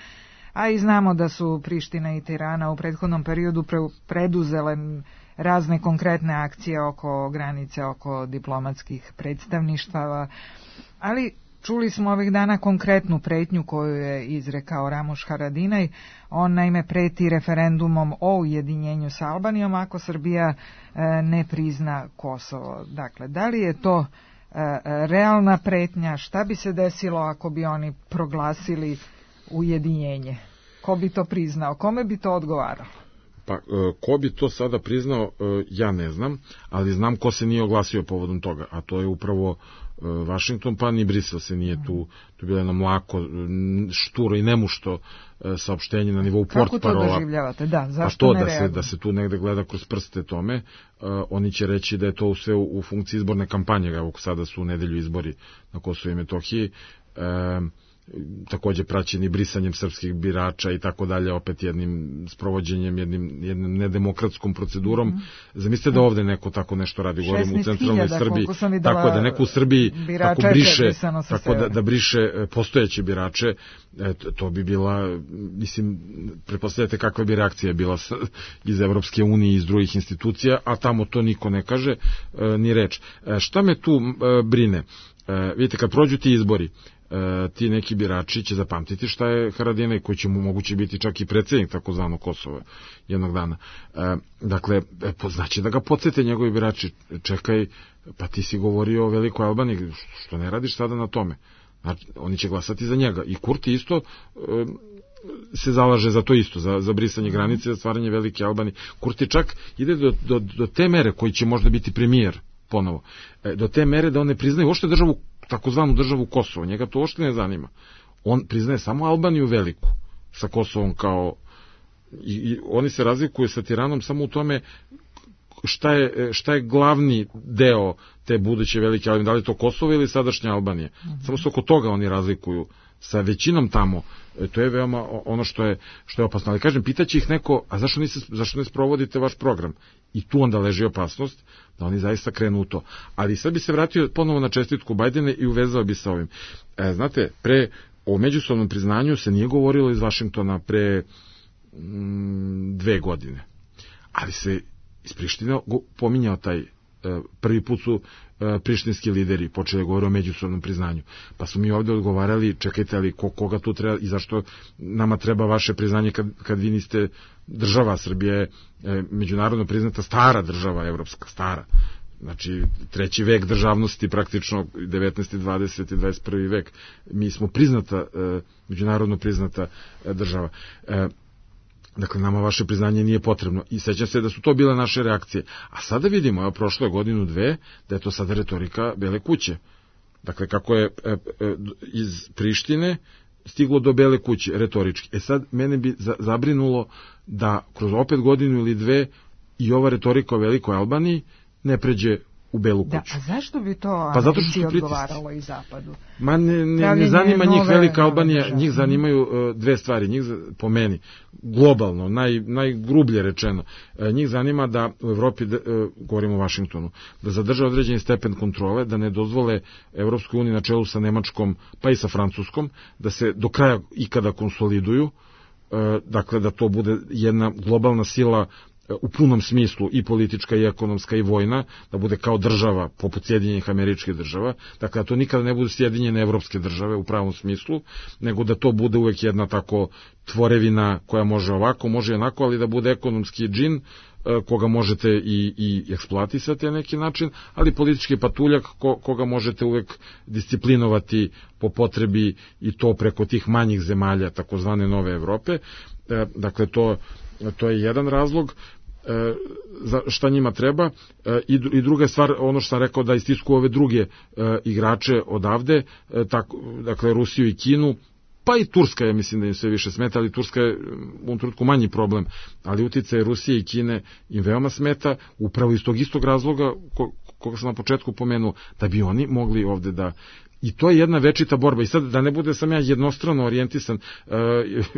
a i znamo da su Priština i Tirana u prethodnom periodu pre, preduzele razne konkretne akcije oko granice, oko diplomatskih predstavništava, ali čuli smo ovih dana konkretnu pretnju koju je izrekao Ramuš Haradinaj. On naime preti referendumom o ujedinjenju sa Albanijom ako Srbija e, ne prizna Kosovo. Dakle, da li je to e, realna pretnja? Šta bi se desilo ako bi oni proglasili ujedinjenje? Ko bi to priznao? Kome bi to odgovaralo? Pa ko bi to sada priznao, ja ne znam, ali znam ko se nije oglasio povodom toga, a to je upravo Vašington, pa ni Brisel se nije tu, tu bilo jedno mlako, šturo i nemušto saopštenje na nivou portparola. Kako to doživljavate? Da, zašto pa to ne da reaguju? se, da se tu negde gleda kroz prste tome, uh, oni će reći da je to sve u, u funkciji izborne kampanje, evo sada su u nedelju izbori na Kosovu i Metohiji, uh, takođe praćeni brisanjem srpskih birača i tako dalje, opet jednim sprovođenjem, jednim, jednim nedemokratskom procedurom. Mm-hmm. Zamislite da ovde neko tako nešto radi, govorim u centralnoj Srbiji, tako da neko u Srbiji tako briše, tako da, da briše postojeće birače, to, to bi bila, mislim, pretpostavljate kakva bi reakcija bila iz Evropske unije i iz drugih institucija, a tamo to niko ne kaže, ni reč. Šta me tu brine? Vidite, kad prođu ti izbori, E, ti neki birači će zapamtiti šta je Haradinaj, koji će mu moguće biti čak i predsjednik takozvanog Kosova jednog dana. E, dakle, e, znači da ga podsjete njegovi birači, čekaj, pa ti si govorio o Velikoj Albaniji, što ne radiš sada na tome? Znači, oni će glasati za njega. I Kurti isto e, se zalaže za to isto, za, za brisanje granice, za stvaranje Velike Albanije. Kurti čak ide do, do, do te mere koji će možda biti premijer ponovo. E, do te mere da on ne priznaju uopšte državu, takozvanu državu Kosovo, njega to uopšte ne zanima. On priznaje samo Albaniju veliku, sa Kosovom kao... I, i oni se razlikuju sa Tiranom samo u tome šta je, šta je glavni deo te buduće velike Albanije, da li je to Kosovo ili sadašnja Albanija. Mm-hmm. Samo se oko toga oni razlikuju sa većinom tamo. E, to je veoma ono što je, što je opasno. Ali kažem, pitaće ih neko, a zašto, niste, zašto ne sprovodite vaš program? I tu onda leži opasnost da oni zaista krenu u to. Ali sad bi se vratio ponovo na čestitku Bajdena i uvezao bi sa ovim. E, znate, pre o međusobnom priznanju se nije govorilo iz Vašingtona pre mm, dve godine. Ali se iz Prištine pominjao taj, prvi put su prištinski lideri počeli govoriti o međusobnom priznanju. Pa su mi ovde odgovarali, čekajte, ali ko, koga tu treba i zašto nama treba vaše priznanje kad, kad vi niste država. Srbija je međunarodno priznata stara država, evropska, stara. Znači, treći vek državnosti, praktično devetnaesti, dvadeseti, dvadeset prvi vek. Mi smo priznata, međunarodno priznata država. Dakle, nama vaše priznanje nije potrebno. I sećam se da su to bile naše reakcije. A sada vidimo, evo, prošlo je godinu, dve, da je to sada retorika Bele kuće. Dakle, kako je e, e, iz Prištine stiglo do Bele kuće, retorički. E sad, mene bi za, zabrinulo da kroz opet godinu ili dve i ova retorika o Velikoj Albaniji ne pređe u Belu kuću. Da, a zašto bi to pa Americi odgovaralo i Zapadu? Ma ne, ne, ne zanima nove, njih Velika Albanija, države. Njih zanimaju uh, dve stvari, njih po meni, globalno, naj, najgrublje rečeno, uh, njih zanima da u Evropi, uh, govorimo o Vašingtonu, da zadrže određeni stepen kontrole, da ne dozvole Evropskoj uniji na čelu sa Nemačkom, pa i sa Francuskom, da se do kraja ikada konsoliduju, uh, dakle da to bude jedna globalna sila u punom smislu, i politička i ekonomska i vojna, da bude kao država poput Sjedinjenih Američkih Država, dakle da to nikada ne budu Sjedinjene evropske države u pravom smislu, nego da to bude uvek jedna tako tvorevina koja može ovako, može onako, ali da bude ekonomski džin koga možete i, i eksploatisati na neki način, ali politički patuljak ko, koga možete uvek disciplinovati po potrebi, i to preko tih manjih zemalja takozvane nove Evrope. Dakle, to, to je jedan razlog za šta njima treba. I, i druga stvar, ono što sam rekao, da istisku ove druge igrače odavde, tako, dakle Rusiju i Kinu, pa i Turska, ja mislim da im sve više smeta, ali Turska je u ovom trenutku manji problem, ali uticaj Rusije i Kine im veoma smeta, upravo iz tog istog razloga ko, koga sam na početku pomenuo, da bi oni mogli ovde da... I to je jedna večita borba. I sad, da ne bude sam ja jednostrano orijentisan, e,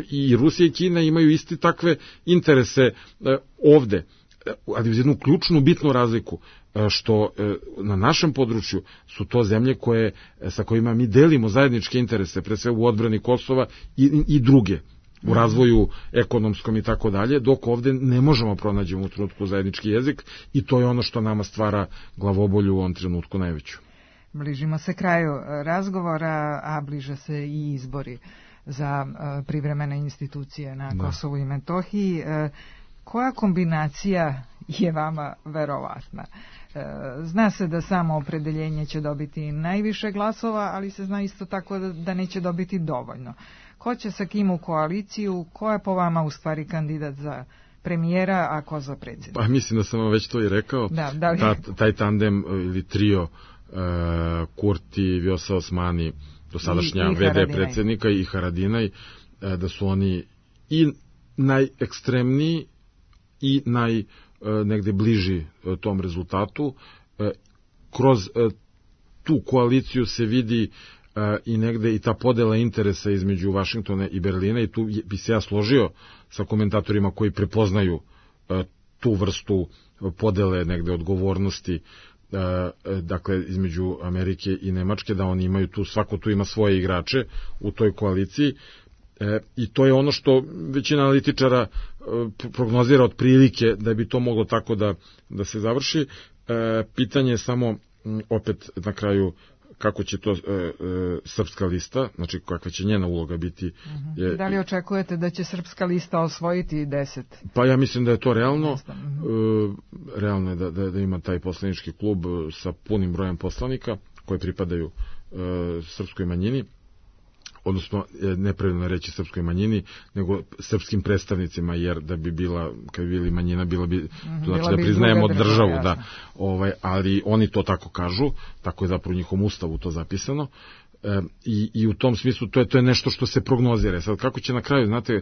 i Rusija i Kina imaju isti takve interese e, ovde, ali uz jednu ključnu, bitnu razliku, e, što e, na našem području su to zemlje koje, sa kojima mi delimo zajedničke interese, pre sve u odbrani Kosova i, i druge, u razvoju ekonomskom i tako dalje, dok ovde ne možemo pronaći u trenutku zajednički jezik, i to je ono što nama stvara glavobolju u ovom trenutku najveću. Bližimo se kraju razgovora, a bliže se i izbori za privremene institucije na da. Kosovu i Metohiji. Koja kombinacija je vama verovatna? Zna se da samo opredeljenje će dobiti najviše glasova, ali se zna isto tako da neće dobiti dovoljno. Ko će sa kim u koaliciju? Ko je po vama u stvari kandidat za premijera, a ko za predsjednika? Pa mislim da sam vam već to i rekao. Da, da li... Ta, taj tandem ili trio uh, Kurti, Vjosa Osmani, dosadašnja I, i ve de predsjednika i Haradinaj, uh, da su oni i najekstremniji i naj uh, negde bliži uh, tom rezultatu. Uh, kroz uh, tu koaliciju se vidi uh, i negde i ta podela interesa između Vašingtona i Berlina, i tu bi se ja složio sa komentatorima koji prepoznaju uh, tu vrstu podele negde odgovornosti, uh, dakle između Amerike i Nemačke, da oni imaju tu, svako tu ima svoje igrače u toj koaliciji. E, I to je ono što većina analitičara e, prognozira otprilike da bi to moglo tako da, da se završi. E, pitanje je samo m, opet na kraju kako će to e, e, Srpska lista, znači kakva će njena uloga biti. Uh-huh. Je, da li očekujete da će Srpska lista osvojiti deset? Pa ja mislim da je to realno. Uh-huh. E, realno je da, da, da ima taj poslanički klub sa punim brojem poslanika koji pripadaju e, srpskoj manjini, odnosno nepravilno reći srpskoj manjini, nego srpskim predstavnicima, jer da bi bila, kad bi bili manjina, bila bi, mm-hmm, znači bila da priznajemo državu, državu da, ovaj, ali oni to tako kažu, tako je zapravo u njihovom ustavu to zapisano, e, i, i u tom smislu to je, to je nešto što se prognozira. Sad kako će na kraju, znate, e,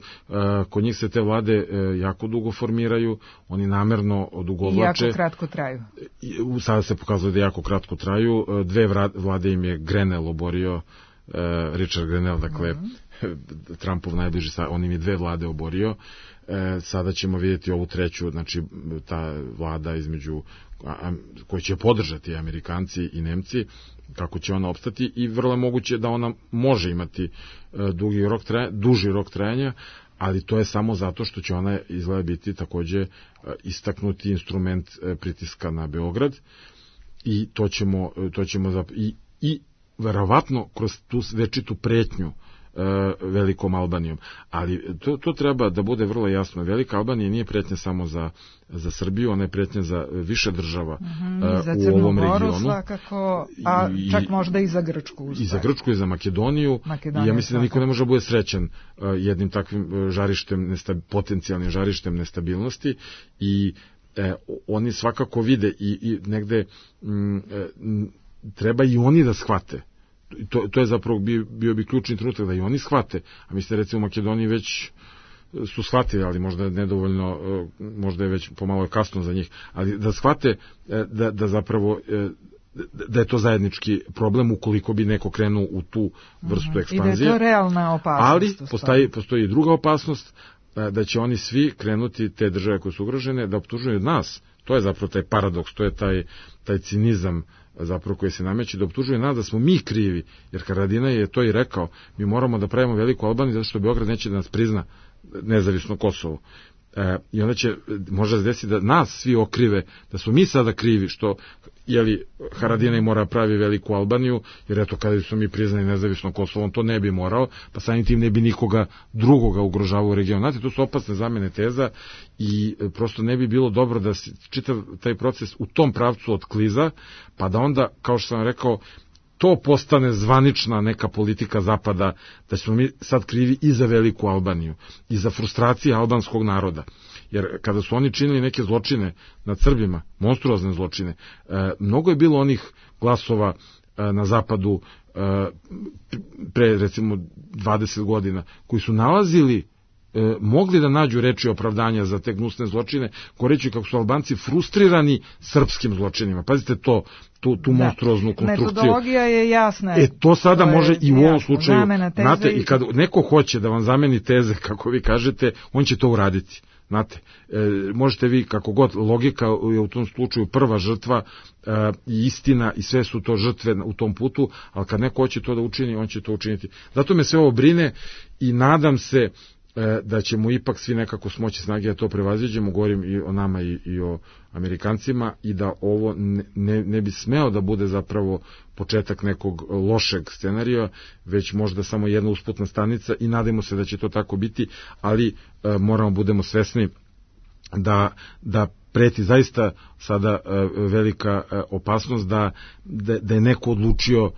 kod njih se te vlade e, jako dugo formiraju, oni namerno odugovlače. I jako kratko traju. I, sada se pokazuje da jako kratko traju, e, dve vlade im je Grenell oborio, Uh, Richard Grenell, dakle mm-hmm. Trumpov najbliži, on im je dve vlade oborio. Uh, sada ćemo vidjeti ovu treću, znači ta vlada između a, koju će podržati Amerikanci i Nemci, kako će ona opstati, i vrlo je moguće da ona može imati uh, dugi rok trajanja, duži rok trajanja, ali to je samo zato što će ona izgleda biti takođe uh, istaknuti instrument uh, pritiska na Beograd, i to ćemo, uh, to ćemo zap... i, i verovatno kroz tu večitu pretnju e, Velikom Albanijom. Ali to, to treba da bude vrlo jasno. Velika Albanija nije pretnja samo za, za Srbiju, ona je pretnja za više država mm-hmm, e, za u ovom regionu. Svakako, a i, čak možda i za Grčku. I za Grčku i za Makedoniju. Makedonija, I ja mislim da niko svakako ne može bude srećan e, jednim takvim žarištem, nestab, potencijalnim žarištem nestabilnosti, i e, oni svakako vide i, i negde m, e, treba i oni da shvate. To, to je zapravo bio, bio bi ključni trenutak da i oni shvate, a mislim recimo u Makedoniji već su shvatili, ali možda je nedovoljno, možda je već pomalo kasno za njih, ali da shvate da, da zapravo da je to zajednički problem ukoliko bi neko krenuo u tu vrstu ekspanzije. I da je to realna opasnost. Ali postoji, postoji i druga opasnost, da će oni svi krenuti, te države koje su ugrožene, da optužuju nas. To je zapravo taj paradoks, to je taj, taj cinizam zapravo koji se nameće, da optužuje nas da smo mi krivi, jer Haradinaj je to i rekao, mi moramo da pravimo Veliku Albaniju zato što Beograd neće da nas prizna nezavisno Kosovo. E, I onda će možda se desiti da nas svi okrive, da smo mi sada krivi što, jeli, Haradinaj mora pravi Veliku Albaniju, jer eto kada smo mi priznali nezavisno Kosovo, on to ne bi morao, pa samim tim ne bi nikoga drugoga ugrožavao u regionu. Znate, to su opasne zamene teza i prosto ne bi bilo dobro da se čitav taj proces u tom pravcu otkliza, pa da onda, kao što sam rekao, to postane zvanična neka politika Zapada, da smo mi sad krivi i za Veliku Albaniju, i za frustracije albanskog naroda. Jer kada su oni činili neke zločine nad Srbima, monstruozne zločine, e, mnogo je bilo onih glasova e, na Zapadu e, pre recimo dvadeset godina, koji su nalazili, e, mogli da nađu reči opravdanja za te gnusne zločine, goreći kako su Albanci frustrirani srpskim zločinima. Pazite to, tu, tu monstruoznu konstrukciju. Metodologija je jasna. E, to sada to može i u ovom slučaju. Znate, i kad neko hoće da vam zameni teze, kako vi kažete, on će to uraditi. Znate, e, možete vi, kako god, logika je u tom slučaju prva žrtva e, i istina, i sve su to žrtve u tom putu, ali kad neko hoće to da učini, on će to učiniti. Zato me sve ovo brine i nadam se da ćemo ipak svi nekako smoći snage da to prevaziđemo, govorim i o nama i, i o Amerikancima, i da ovo ne, ne, ne bi smeo da bude zapravo početak nekog lošeg scenarija, već možda samo jedna usputna stanica, i nadamo se da će to tako biti, ali e, moramo budemo svesni da, da preti zaista sada e, velika e, opasnost da, da, da je neko odlučio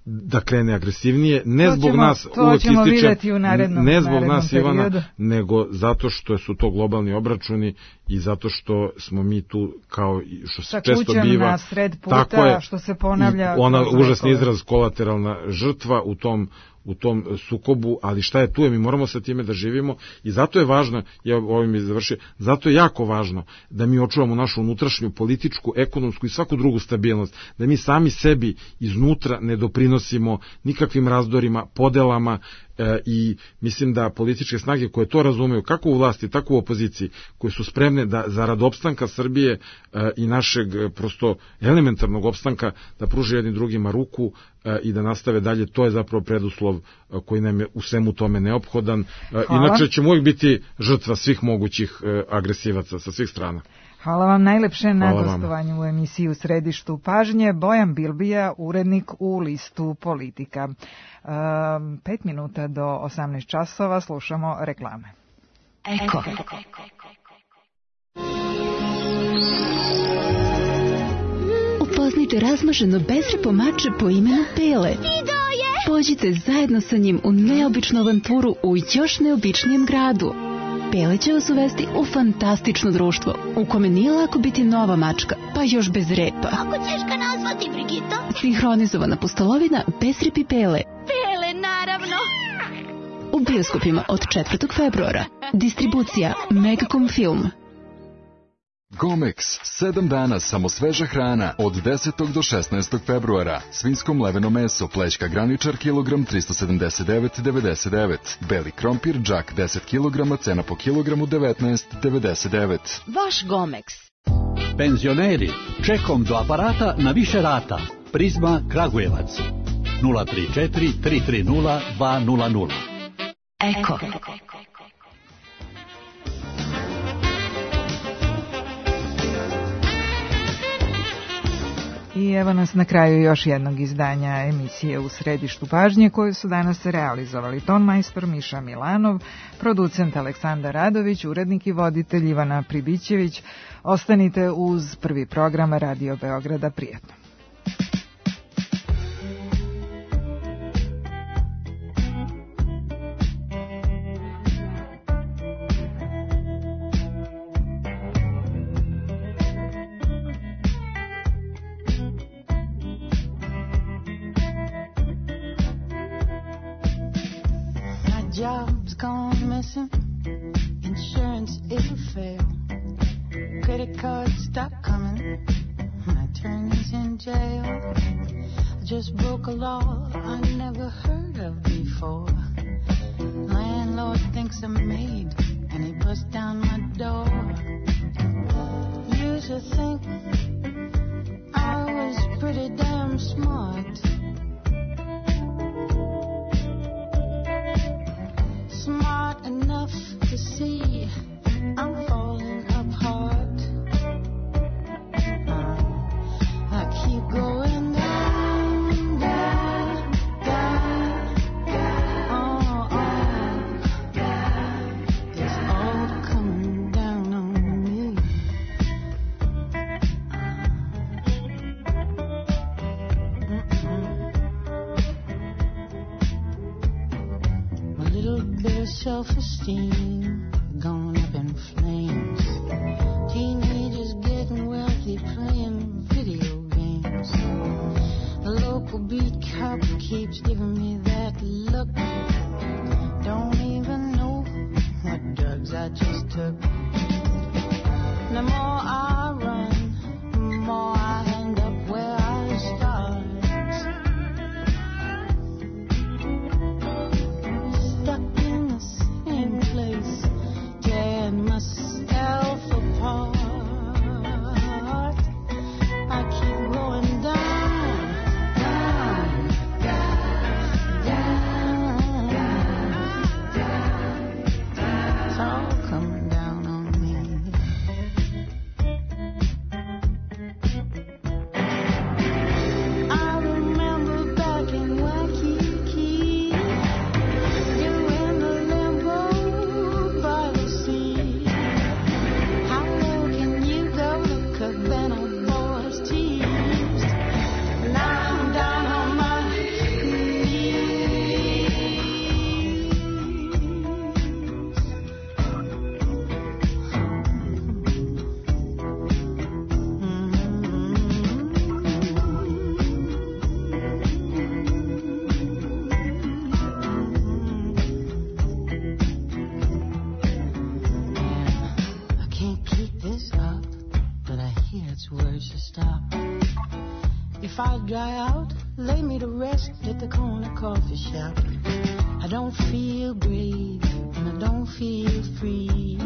da krene agresivnije, ne to zbog ćemo, nas, to uvek ćemo ističem, u narednom, ne zbog narednom nas periodu. Ivana, nego zato što su to globalni obračuni i zato što smo mi tu kao što se često biva, na sred puta, tako je, što se ponavlja. Ona užasni izraz kolateralna žrtva u tom u tom sukobu, ali šta je tu je, mi moramo sa time da živimo i zato je važno, ja ovim je završio, zato je jako važno da mi očuvamo našu unutrašnju političku, ekonomsku i svaku drugu stabilnost, da mi sami sebi iznutra ne doprinosimo nikakvim razdorima, podelama e, i mislim da političke snage koje to razumeju, kako u vlasti, tako u opoziciji, koje su spremne da zarad opstanka Srbije e, i našeg e, prosto elementarnog opstanka da pruže jednim drugima ruku e, i da nastave dalje, to je zapravo preduslov e, koji nam je u svemu tome neophodan. E, inače ćemo uvijek biti žrtva svih mogućih e, agresivaca sa svih strana. Hvala vam najlepše na gostovanju u emisiji U središtu pažnje. Bojan Bilbija, urednik u listu Politika. Um, pet minuta do osamnaest časova slušamo reklame. Eko. Upoznajte razmaženo bezrepo mače po imenu Pele. Pođite zajedno sa njim u neobičnu avanturu u još neobičnijem gradu. Pele će vas uvesti u fantastično društvo, u kome nije lako biti nova mačka, pa još bez repa. Kako ćeš ga nazvati, Brigito? Sinhronizovana pustolovina bez repi Pele. Pele, naravno. U bioskopima od četvrtog februara. Distribucija Megacom Film. Gomex, sedam dana samo sveža hrana od desetog do šesnaestog februara. Svinjsko mleveno meso, plećka graničar, kilogram tristo sedamdeset devet devedeset devet. Beli krompir, džak deset kilograma, cena po kilogramu devetnaest devedeset devet. Vaš Gomex. Penzioneri, čekom do aparata na više rata. Prizma Kragujevac. nula tri četiri tri tri nula dva nula nula. Eko. I evo nas na kraju još jednog izdanja emisije U središtu pažnje koju su danas realizovali tonmajstor Miša Milanov, producent Aleksandar Radović, urednik i voditelj Ivana Pribićević. Ostanite uz prvi program Radio Beograda. Prijatno. Job's gone missing, insurance it'll fail, credit cards stop coming, my attorney's in jail. I just broke a law I never heard of before. Landlord thinks I'm made and he busts down my door. Used to think I was pretty damn smart, smart enough to see I'm falling apart. uh, I keep going down, down, down, down, oh, oh, down. It's all coming down on me. uh, My little bit of self-esteem gone up in flames. Teenagers getting wealthy playing video games. The local beat cop keeps giving me that look. Don't even know what drugs I just took. The more I run, the more I end up where I start. Stuck in the same place, tearing myself apart. I keep going down, down, down, down. It's all coming down on me. If I dry out, lay me to rest at the corner coffee shop. I don't feel brave and I don't feel free.